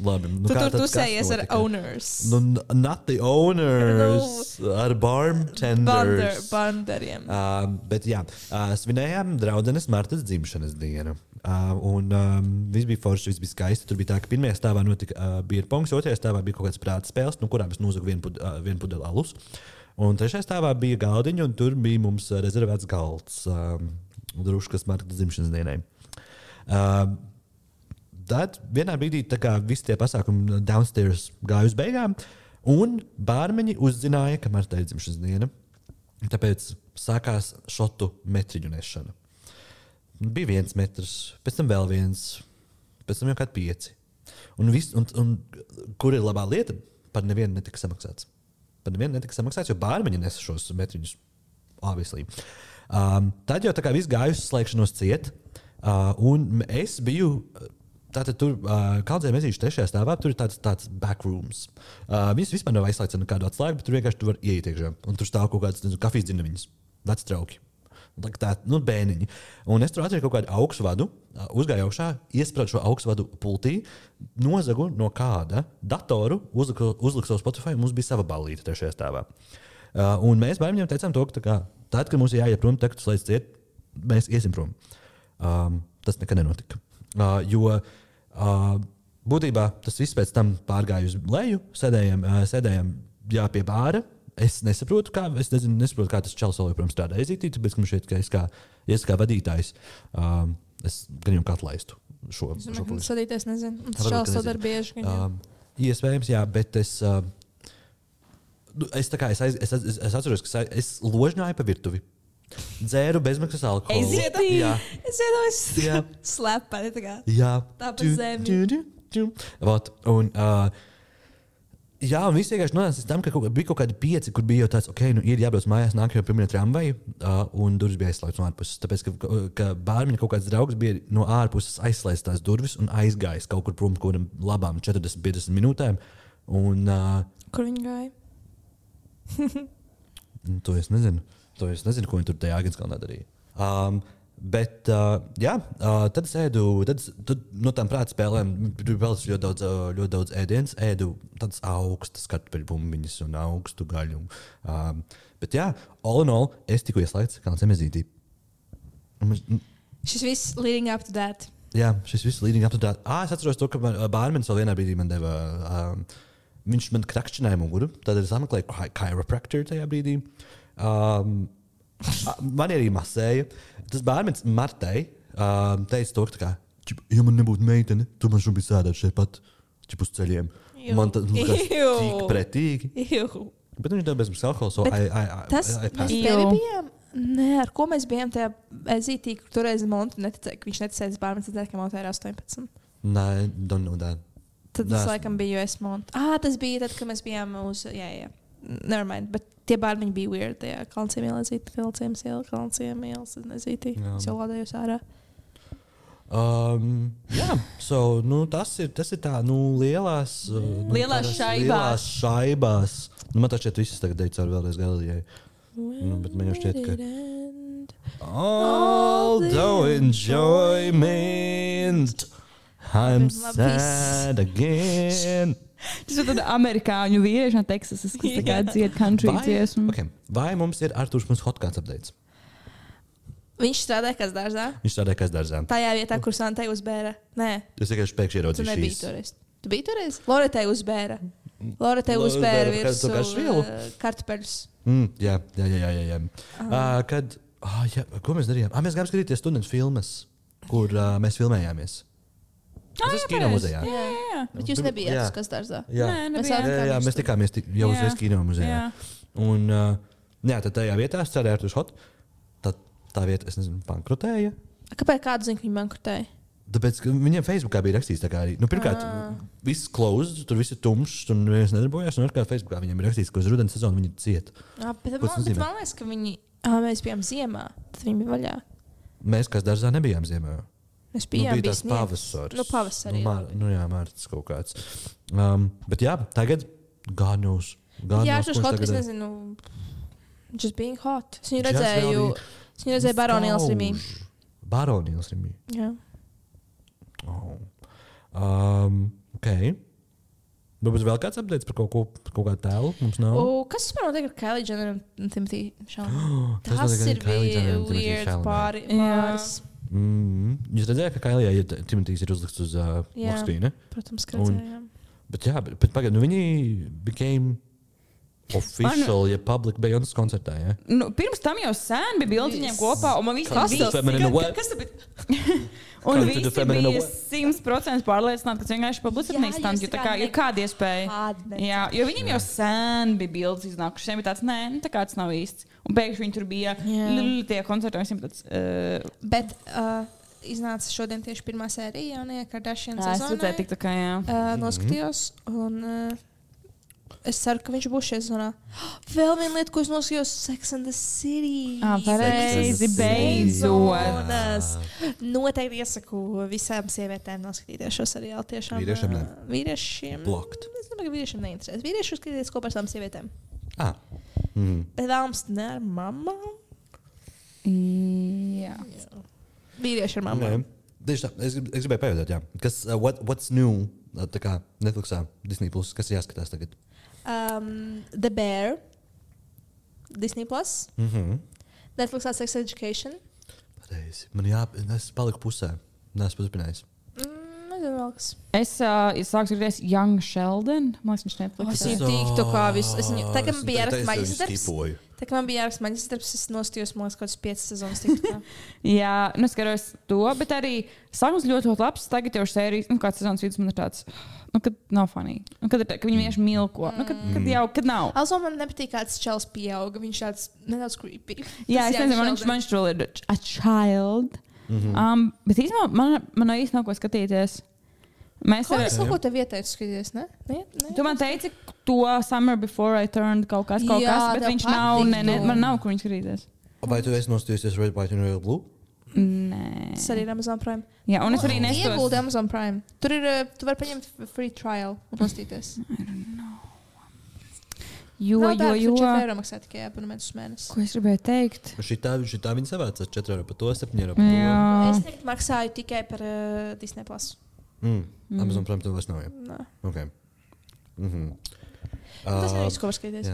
Labi. Tu sējies ar owners. Not the owners, ar bartenders. Banderiem. Bet jā, svinējām draudzenes Martas dzimšanas dienu. Un viss bija forši, viss bija skaisti. Tur bija tā, ka pirmajā stāvā notika beer pongs, otrajā stāvā bija kaut kāds prāta spēles, no kurām es nozagu vienu pudeli alus. Un trešajā stāvā bija galdiņa, un tur bija mums rezervēts galds druškas Martas dzimšanas dienai. Tad vienā brīdī visi tie pasākumi downstairs gāja uz beigām, un bārmeņi uzzināja, ka Martai ir dzimšanas diena. Tāpēc sākās šotu metriņu nešana. Bija 1 metrs, pēc tam vēl 1, pēc tam jau kādi 5. Un kur ir labā lieta? Par nevienu netika samaksāts. Jo bārmeņi nesa šos metriņus. Obviously. Tad jau viss gāja uz slēgšanos ciet. Un es biju tātad tur Kaldzēm ezīšu 3. stāvā. Tur ir tāds backrooms. Viņas vispār nav aizslēgts ar kādu atslēgu, bet tur vienkārši tu var ieiet iekšā. Un tur stāv kaut kāds kafijas dzirnaviņas. Veci trauki. Bēniņi. Un es tur atradu kaut kādu augstu vadu, uzgāju augšā, iesprādu šo augstu vadu pultī, nozagu no kāda datoru, uzliku savu Spotify, un mums bija sava ballīte 3. stāvā. Un mēs bērniem teicām to, ka tad, kad mums ir jāiet prom, tad, kad tu slēdz ciet, mēs iesim prom. Tas nekad nenotika. Jo būtībā tas viss pēc tam pārgāja uz leju, sēdējām pie bāra. Es nesaprotu, kā tas čels vēl joprojām strādā ezītī, tāpēc, ka man šeit, ka es kā vadītājs, es gan jau atlaistu šo polici. Sadīties nezinu. Tas čels sadar bieži. Iespējams, jā, bet es atceros, ka es ložņāju pa virtuvi. Dzēru bezmaksas alkoholu. Ezītī? Es iedomājos slepeni tā kā. Jā. Tā pa zemi. Un jā, un viss vienkārši nonāca tam, ka bija kaut kādi 5, kur bija jau tāds, ir jābrauc mājās, nāk jau pirmie tramvaji, un durvis bija aizslēgts no ārpuses. Tāpēc, ka bārmiņa kaut kāds draugs bija no ārpuses aizslēgts tās durvis un aizgājis kaut kur prom kaut kādam labām 40-50 minūtēm. Un, kur viņi gāja? To es nezinu, ko viņi tur tajā Āgenskalnā darīja. Bet, tad es ēdu, no tām prāta spēlēm, tur bija ļoti daudz ēdienas, ēdu tādas augstas kartupeļu bumbiņas un augstu gaļu. Bet jā, all in all, es tikko ieslēgts Kalncēm ezītī. Šis viss leading up to that. Jā, šis viss leading up to that. Es atceros to, ka bārmenis vēl vienā brīdī man deva, viņš man krakšķināja muguru, tad es apmeklēju chiropractor tajā brīdī. Man arī masēja. Tas bārmenis Martai teica to, ka, ja man nebūtu meitene, tu man šobrīd sēdētu šeit pat uz ceļiem. Man tas tik pretīgi. Bet viņš deva bezmaksas alkoholu, so tas mēs tevi bijām? Nē, ar ko mēs bijām tajā ezītī, kur toreiz Montu neticēja, ka viņš neticēja bārmenis, tad, ka Montu ir 18. Nē, don't know that. Tad tas laikam bija US Montu. Tas bija tad, kad mēs bijām uz, jā. Nevermind, bet tie bārmiņi bija weird tajā Kalnciem ielēzīt, Kalnciem ielēzīt, es jau lādējos ārā. Jā, so, tas ir tā, lielās šaibās. Man tā šķiet visas tagad deju caur vēlreiz Galilejai. Bet man jau šķiet, ka although enjoyment, I'm sad again. Tas ir tāds amerikāņu vīrieši no Teksasas, kas tā kā dzied country dziesmu. Vai mums ir Arturs mums hotkāds updates? Viņš strādāja Kazdārzā. Tajā vietā, kur Santai uzbēra. Nē. Es vienkārši pēkšņi ieraudzīju šīs. Tu nebija toreiz. Tu biji toreiz? Loretai uzbēra. Virsū kartupeļus. Jā. Ko mēs darījām? Mēs gājām skatīties studentu filmas, kur mēs filmējāmies. Tas ir kino muzejā. Jā. Bet jūs nebijāt uz Kazdārzā? Jā, mēs tikāmies jau uzreiz kino muzejā. Un tad tajā vietā strādāja Arturs Hot. Tā vieta, es nezinu, bankrotēja. Kāpēc kādu zinu, ka viņi bankrotēja? Tāpēc, ka viņiem Facebookā bija rakstīts, tā kā arī, pirmkārt, viss closed, tur viss ir tumšs, tur neviens nedarbojās, un otrkārt Facebookā viņiem ir rakstīts, ka uz rudens sezonu viņi ciet. Bet Ko tas nozīmē? man liekas, ka viņi, mēs bijām ziemā, tad viņi bija vaļā. Mēs, kas dārzā, nebijām ziemā. Mēs bijām bija tās sniegs. pavasaris. Pavasarī. Jā, mārts kaut kāds. Bet jā, tagad God knows. Jā, šos kaut kas, nezinu, just being hot. Es viņu redzēju Baronīlas Rimī. Baronīlas Rimī. Jā. Ok. Varbūt vēl kāds updates par kaut kādu tēlu? Mums nav. Kas vispār notiek ar Kylie Jenner un Timothy Chalamet? Tas Tas notiek ar ir Kylie Jenner un bija Timothy weird Chalamet. pāris. Jūs redzējāt, ka Kailijai Timotejs ir uzlikts uz lokskrīna? Protams, ka redzējām. Bet jā, pagaid, viņi became official, ja public Beyoncé koncertā, ja? Pirms tam jau sen bija bildi viņiem kopā, un man visi Kas tas bija? Kas tas bija? Un visi bija 100% pārliecināti, ka tas vienkārši publicitāte neizstānd, jo tā kā ir kāda iespēja. Jā, jo viņiem jau sen bija bildes iznākušas, viņiem bija tāds, nē, tā kā tas nav īsts. Un pēkšņi viņi tur bija tie koncerti, visiem tāds... Bet iznāca šodien tieši pirmā sērija jaunajā Kardashian sezonā. Es redzēju tik tā kā, jā. Noskatījos, un... Es ceru, ka viņš būs šajā zonā. Vēl viena lieta, ko es noskatījos, Sex and the City. Pareizi, beidzot. Noteikti iesaku visām sievietēm noskatīties šo seriālu. Tiešām. Vīriešiem ne. Vīriešiem. Blocked. Es domāju, ka vīriešiem neinteresēs. Vīrieši skatīties kopā ar savām sievietēm. Bet vēlams ne ar mamām? Jā. Vīrieši ar mamām. Tieši tā, es gribēju pajautāt, jā. Kas, what's new, tā kā Netflixā, Disney+, kas ir jāskatās tagad? The Bear, Disney+, Netflixā Sex Education. Pareizi. Es paliku pusē. Neesmu paturpinājis. Nezinu vēl kas. Es sāku skatīties Young Sheldon. Man liekas, viņš Netflixā. Es viņu tīktu kā visu. Tā kā man bija jāraksta maģistra darbs. skipoju. Tā kā man bija jāraksta maģistra darbs, es nostījos, man liekas, kaut kāds 5 sezonas tiktu. Jā, skatos to, bet arī sākums ļoti labs. Tagad jau sērijas, kāds sezonas vidus man ir tāds, kad nav funny. Kad viņi vienkārši milko. Kad nav. Also, man nepatīk, kāds čels pieauga. Viņš tāds nedaudz creepy. Jā, es nezinu, man viņš tur ir a child. Bet īstenībā man nav īsti nav ko skatīties. Es kaut ko tev ieteicu skatīties, ne? Tu man teici, to Summer Before I Turned kaut kas, bet viņš nav, man nav, kur viņš skatīties. Vai tu esi nostījusies Red, White and Royal Blue? Nē. Tas arī ir Amazon Prime. Jā, un es arī nestos. Ieguldi Amazon Prime. Tur ir, tu vari paņemt free trial un nostīties. Jo. 4 eiro maksā tikai abonementus mēnesi. Ko es gribēju teikt? Šitā viņi savāca 4 eiro par to, 7 eiro par to. Jā. Es tagad maksāju tikai par Disney+. Amazon Prime tev vairs nav, jā? Nē. Ok. Tas ir viss, ko var skatīties.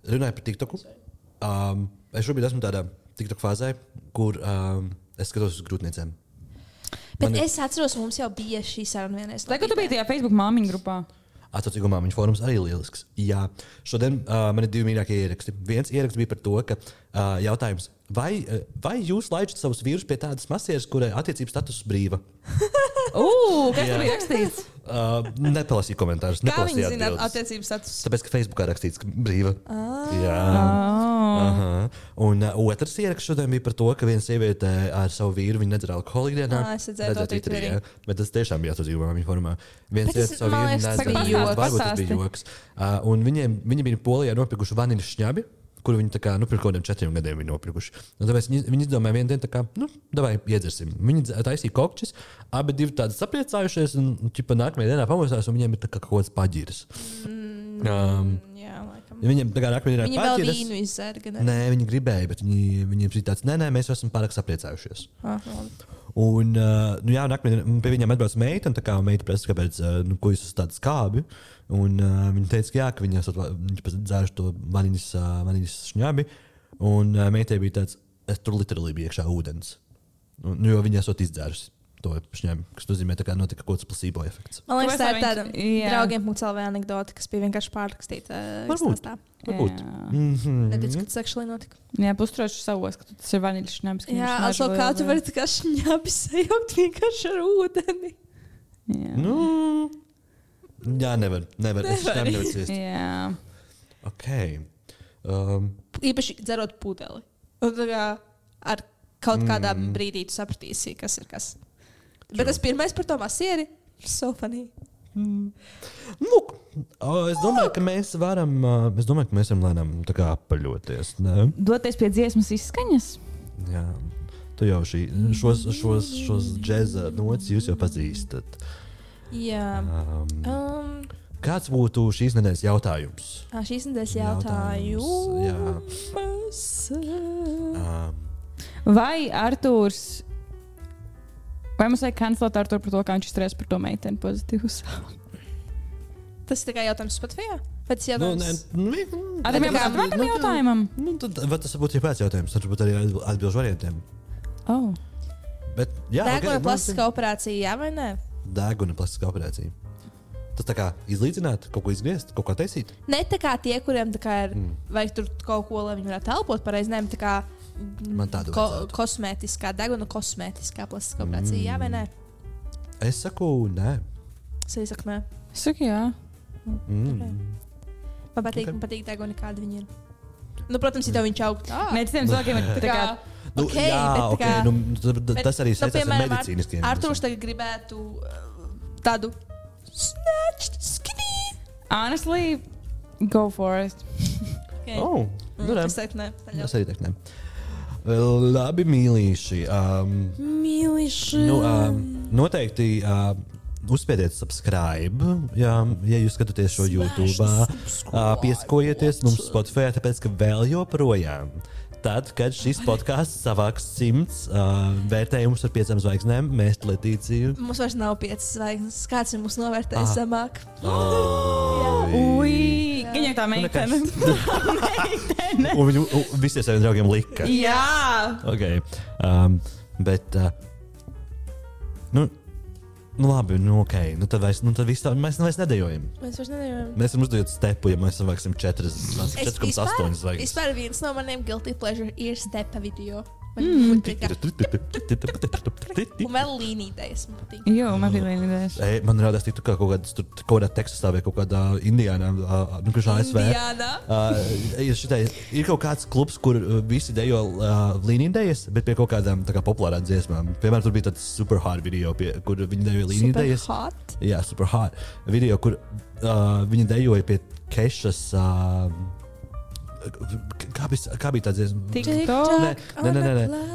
Runāju par TikToku. Es šobrīd esmu tādā TikTok fāzē, kur es skatos uz grūtniecēm. Bet es atceros, mums jau bija šī saruna vienreiz. Tagad tu biji tajā Facebook māmiņu grupā. Atsaucīgo māmiņu fórums arī lielisks. Jā, šodien man ir 2 mīļākie ieraksti. Viens ieraksts bija par to, ka jautājums, vai jūs laižat savus vīrus pie tādas masieres, kurai attiecības status brīva? Kas tur bija rakstīts? Nepalasīju komentārus. Kā viņi zina attiecības status? Tāpēc, ka Facebookā rakstīts, ka brīva. Jā. Un otrs ieraksts šodien bija par to, ka viena sieviete ar savu vīru nedzer alkoholu ikdienā. Es redzēju to Twitterī. Bet tas tiešām bija atsaucīgo māmiņu formā. Viens Bet sieviete savu vīru nedzer. Varbūt tas bija joks. Un viņi bija Polijā nopirkuši vaniļas šņabi, kuru viņi pirms kaut kādiem 4 gadiem bija nopirkuši. Tāpēc viņi izdomāja vienu dienu, tā kā, davai iedzersim. Viņi taisīja kokčus, abi divi tādi sapriecājušies, un nākamajā dienā pamostās, un viņiem ir tā kā kaut kāds paģiris. Viņiem tā kā nākamajā dienā viņi vēl vīnu izzēra. Nē, viņi gribēja, bet viņiem šī tāds, nē, mēs esam pārāk sapriecājušies. Un, nākamajā dienā pie viņiem atbrauc meita, un tā kā meita prasa, kāpēc, ko jūs esat tādi skābi. Un viņa teica, ka jā, ka viņi esat dzēruši to vaniļas šņabi, un meitai bija tāds, es tur literāli bija iekšā ūdens. Jo viņi esat izdzērusi to šņabi, kas nozīmē, ka notika kaut kāds placebo efekts. Man liekas, tā ir tāda draugiem.lv anekdote, kas bija vienkārši pārrakstīta. Varbūt. Neticu, ka tas actually notika. Jā, pustroši savos, ka tas ir vaniļas šņabis. Jā, also kā tu vari tā kā šņabis sajaukt vienkārši ar ūdeni? Jā, nevar. Es tam nevaru ciest. Jā. Ok. Īpaši dzerot pudeli. Un tā kā ar kaut kādā brīdī tu sapratīsi, kas ir kas. Bet tas pirmais par to masieri. So funny. Lūk, es domāju, ka mēs varam lēnām tā kā apaļoties. Ne? Doties pie dziesmas izskaņas? Jā, tu jau šos džeza notis jūs jau pazīstat. Jā. Kāds būtu šīs nedēļas jautājums? Šīs nedēļas jautājums. Vai Artūrs... Vai mums vajag kancelēt Artūru par to, kā viņš izturēs par to meiteni pozitīvus? Tas ir tikai jautājums Spotify? Vai tas jautājums? Tam jautājumam? Vai tas būtu jebkāds jautājums? Tad varbūt arī atbilžu variantiem. Oh. Bet, jā, Deguna plastiskā operācija, jā vai nē? Deguna plastiskā operācija. Tas tā kā izlīdzināt, kaut ko izgriezt, kaut ko taisīt? Ne tā kā tie, kuriem tā kā ir, vajag tur kaut ko, lai viņi varētu elpot pareizi, ne, tā kā Man tādu kosmētiskā, deguna kosmētiskā plastiskā operācija, jā vai nē? Es saku, nē. Es arī saku, nē. Es saku, jā. Okay. Man patīk deguna, kāda viņi ir. Nu, protams, ja tev viņš aug. Nē, citiem cilvēkiem ir tā kā... Okay, bet tas arī saistās ar medicīniskiem. Artūrs tagad gribētu tādu snatched skinny. Honestly, go for it. Okay. Es teiktu, nē. Es arī teiktu, nē. Labi, mīlīši. Noteikti uzspiediet subscribe, ja jūs skatāties šo YouTube. Pieskojieties mums Spotify, tāpēc, ka vēl joprojām. Tad, kad šis podcasts savāks 100 vērtējumus ar 5 zvaigznēm, mēs Letīciju. Mums vairs nav 5 zvaigznes. Kāds ir mūsu novērtējis zemāk? Ui, viņa tā meitene. Un viņu visiem saviem draugiem lika. Jā! Okay. Bet, labi, ok. Tad viss tā, mēs vairs nedējojam. Mēs vairs nedējojam. Mēs varam uzdot stepu, ja mēs savāksim 4,8 zvaigznes. Vispār viens no maniem guilty pleasure ir stepa video. Un vēl līnīdējas man patīk. Jo, man bija līnīdējas. Man rādās, ka kaut kādā Teksasā vai kaut kādā Indijānā, kurš ASV. Ir kaut kāds klubs, kur visi dejo līnīdējas, bet pie kaut kādām tā kā populārām dziesmām. Piemēram, tur bija tāds super hot video, kur viņi dejo līnīdējas. Super hot? Jā, super hot. Video, kur viņi dejoja pie Kešas... Kā bija tā dziesma? TikTok. Nē.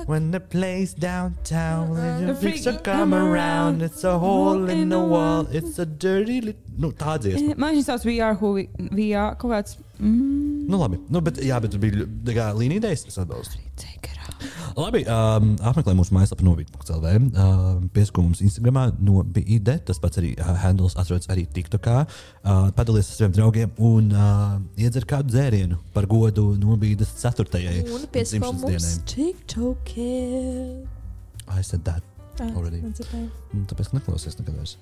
When the place downtown, when the freaks are come around, it's a hole in the wall, it's a dirty tā dziesma. Man viņš sauc VR, kaut kāds... Labi. Bet bija līnīdējas, es atbalstu. Labi, apmeklē mūsu mājaslapu novīt.lv, piesko mums Instagramā NoBID, tas pats arī handles atrodas arī TikTokā. Padalies ar saviem draugiem un iedzer kādu dzērienu par godu NoBIDas 4. Un piesko mums TikTokē. I said that already. Tāpēc neklausies nekad vairs.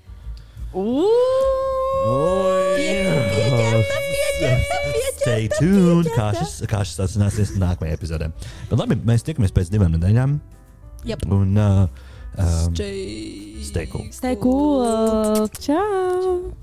Stay tuned, kā šis atsināsies nākamajā epizodē. Bet labi, mēs tiekamies pēc 2 nedēļām. Yep. Un stay cool. Stay cool. Ciao.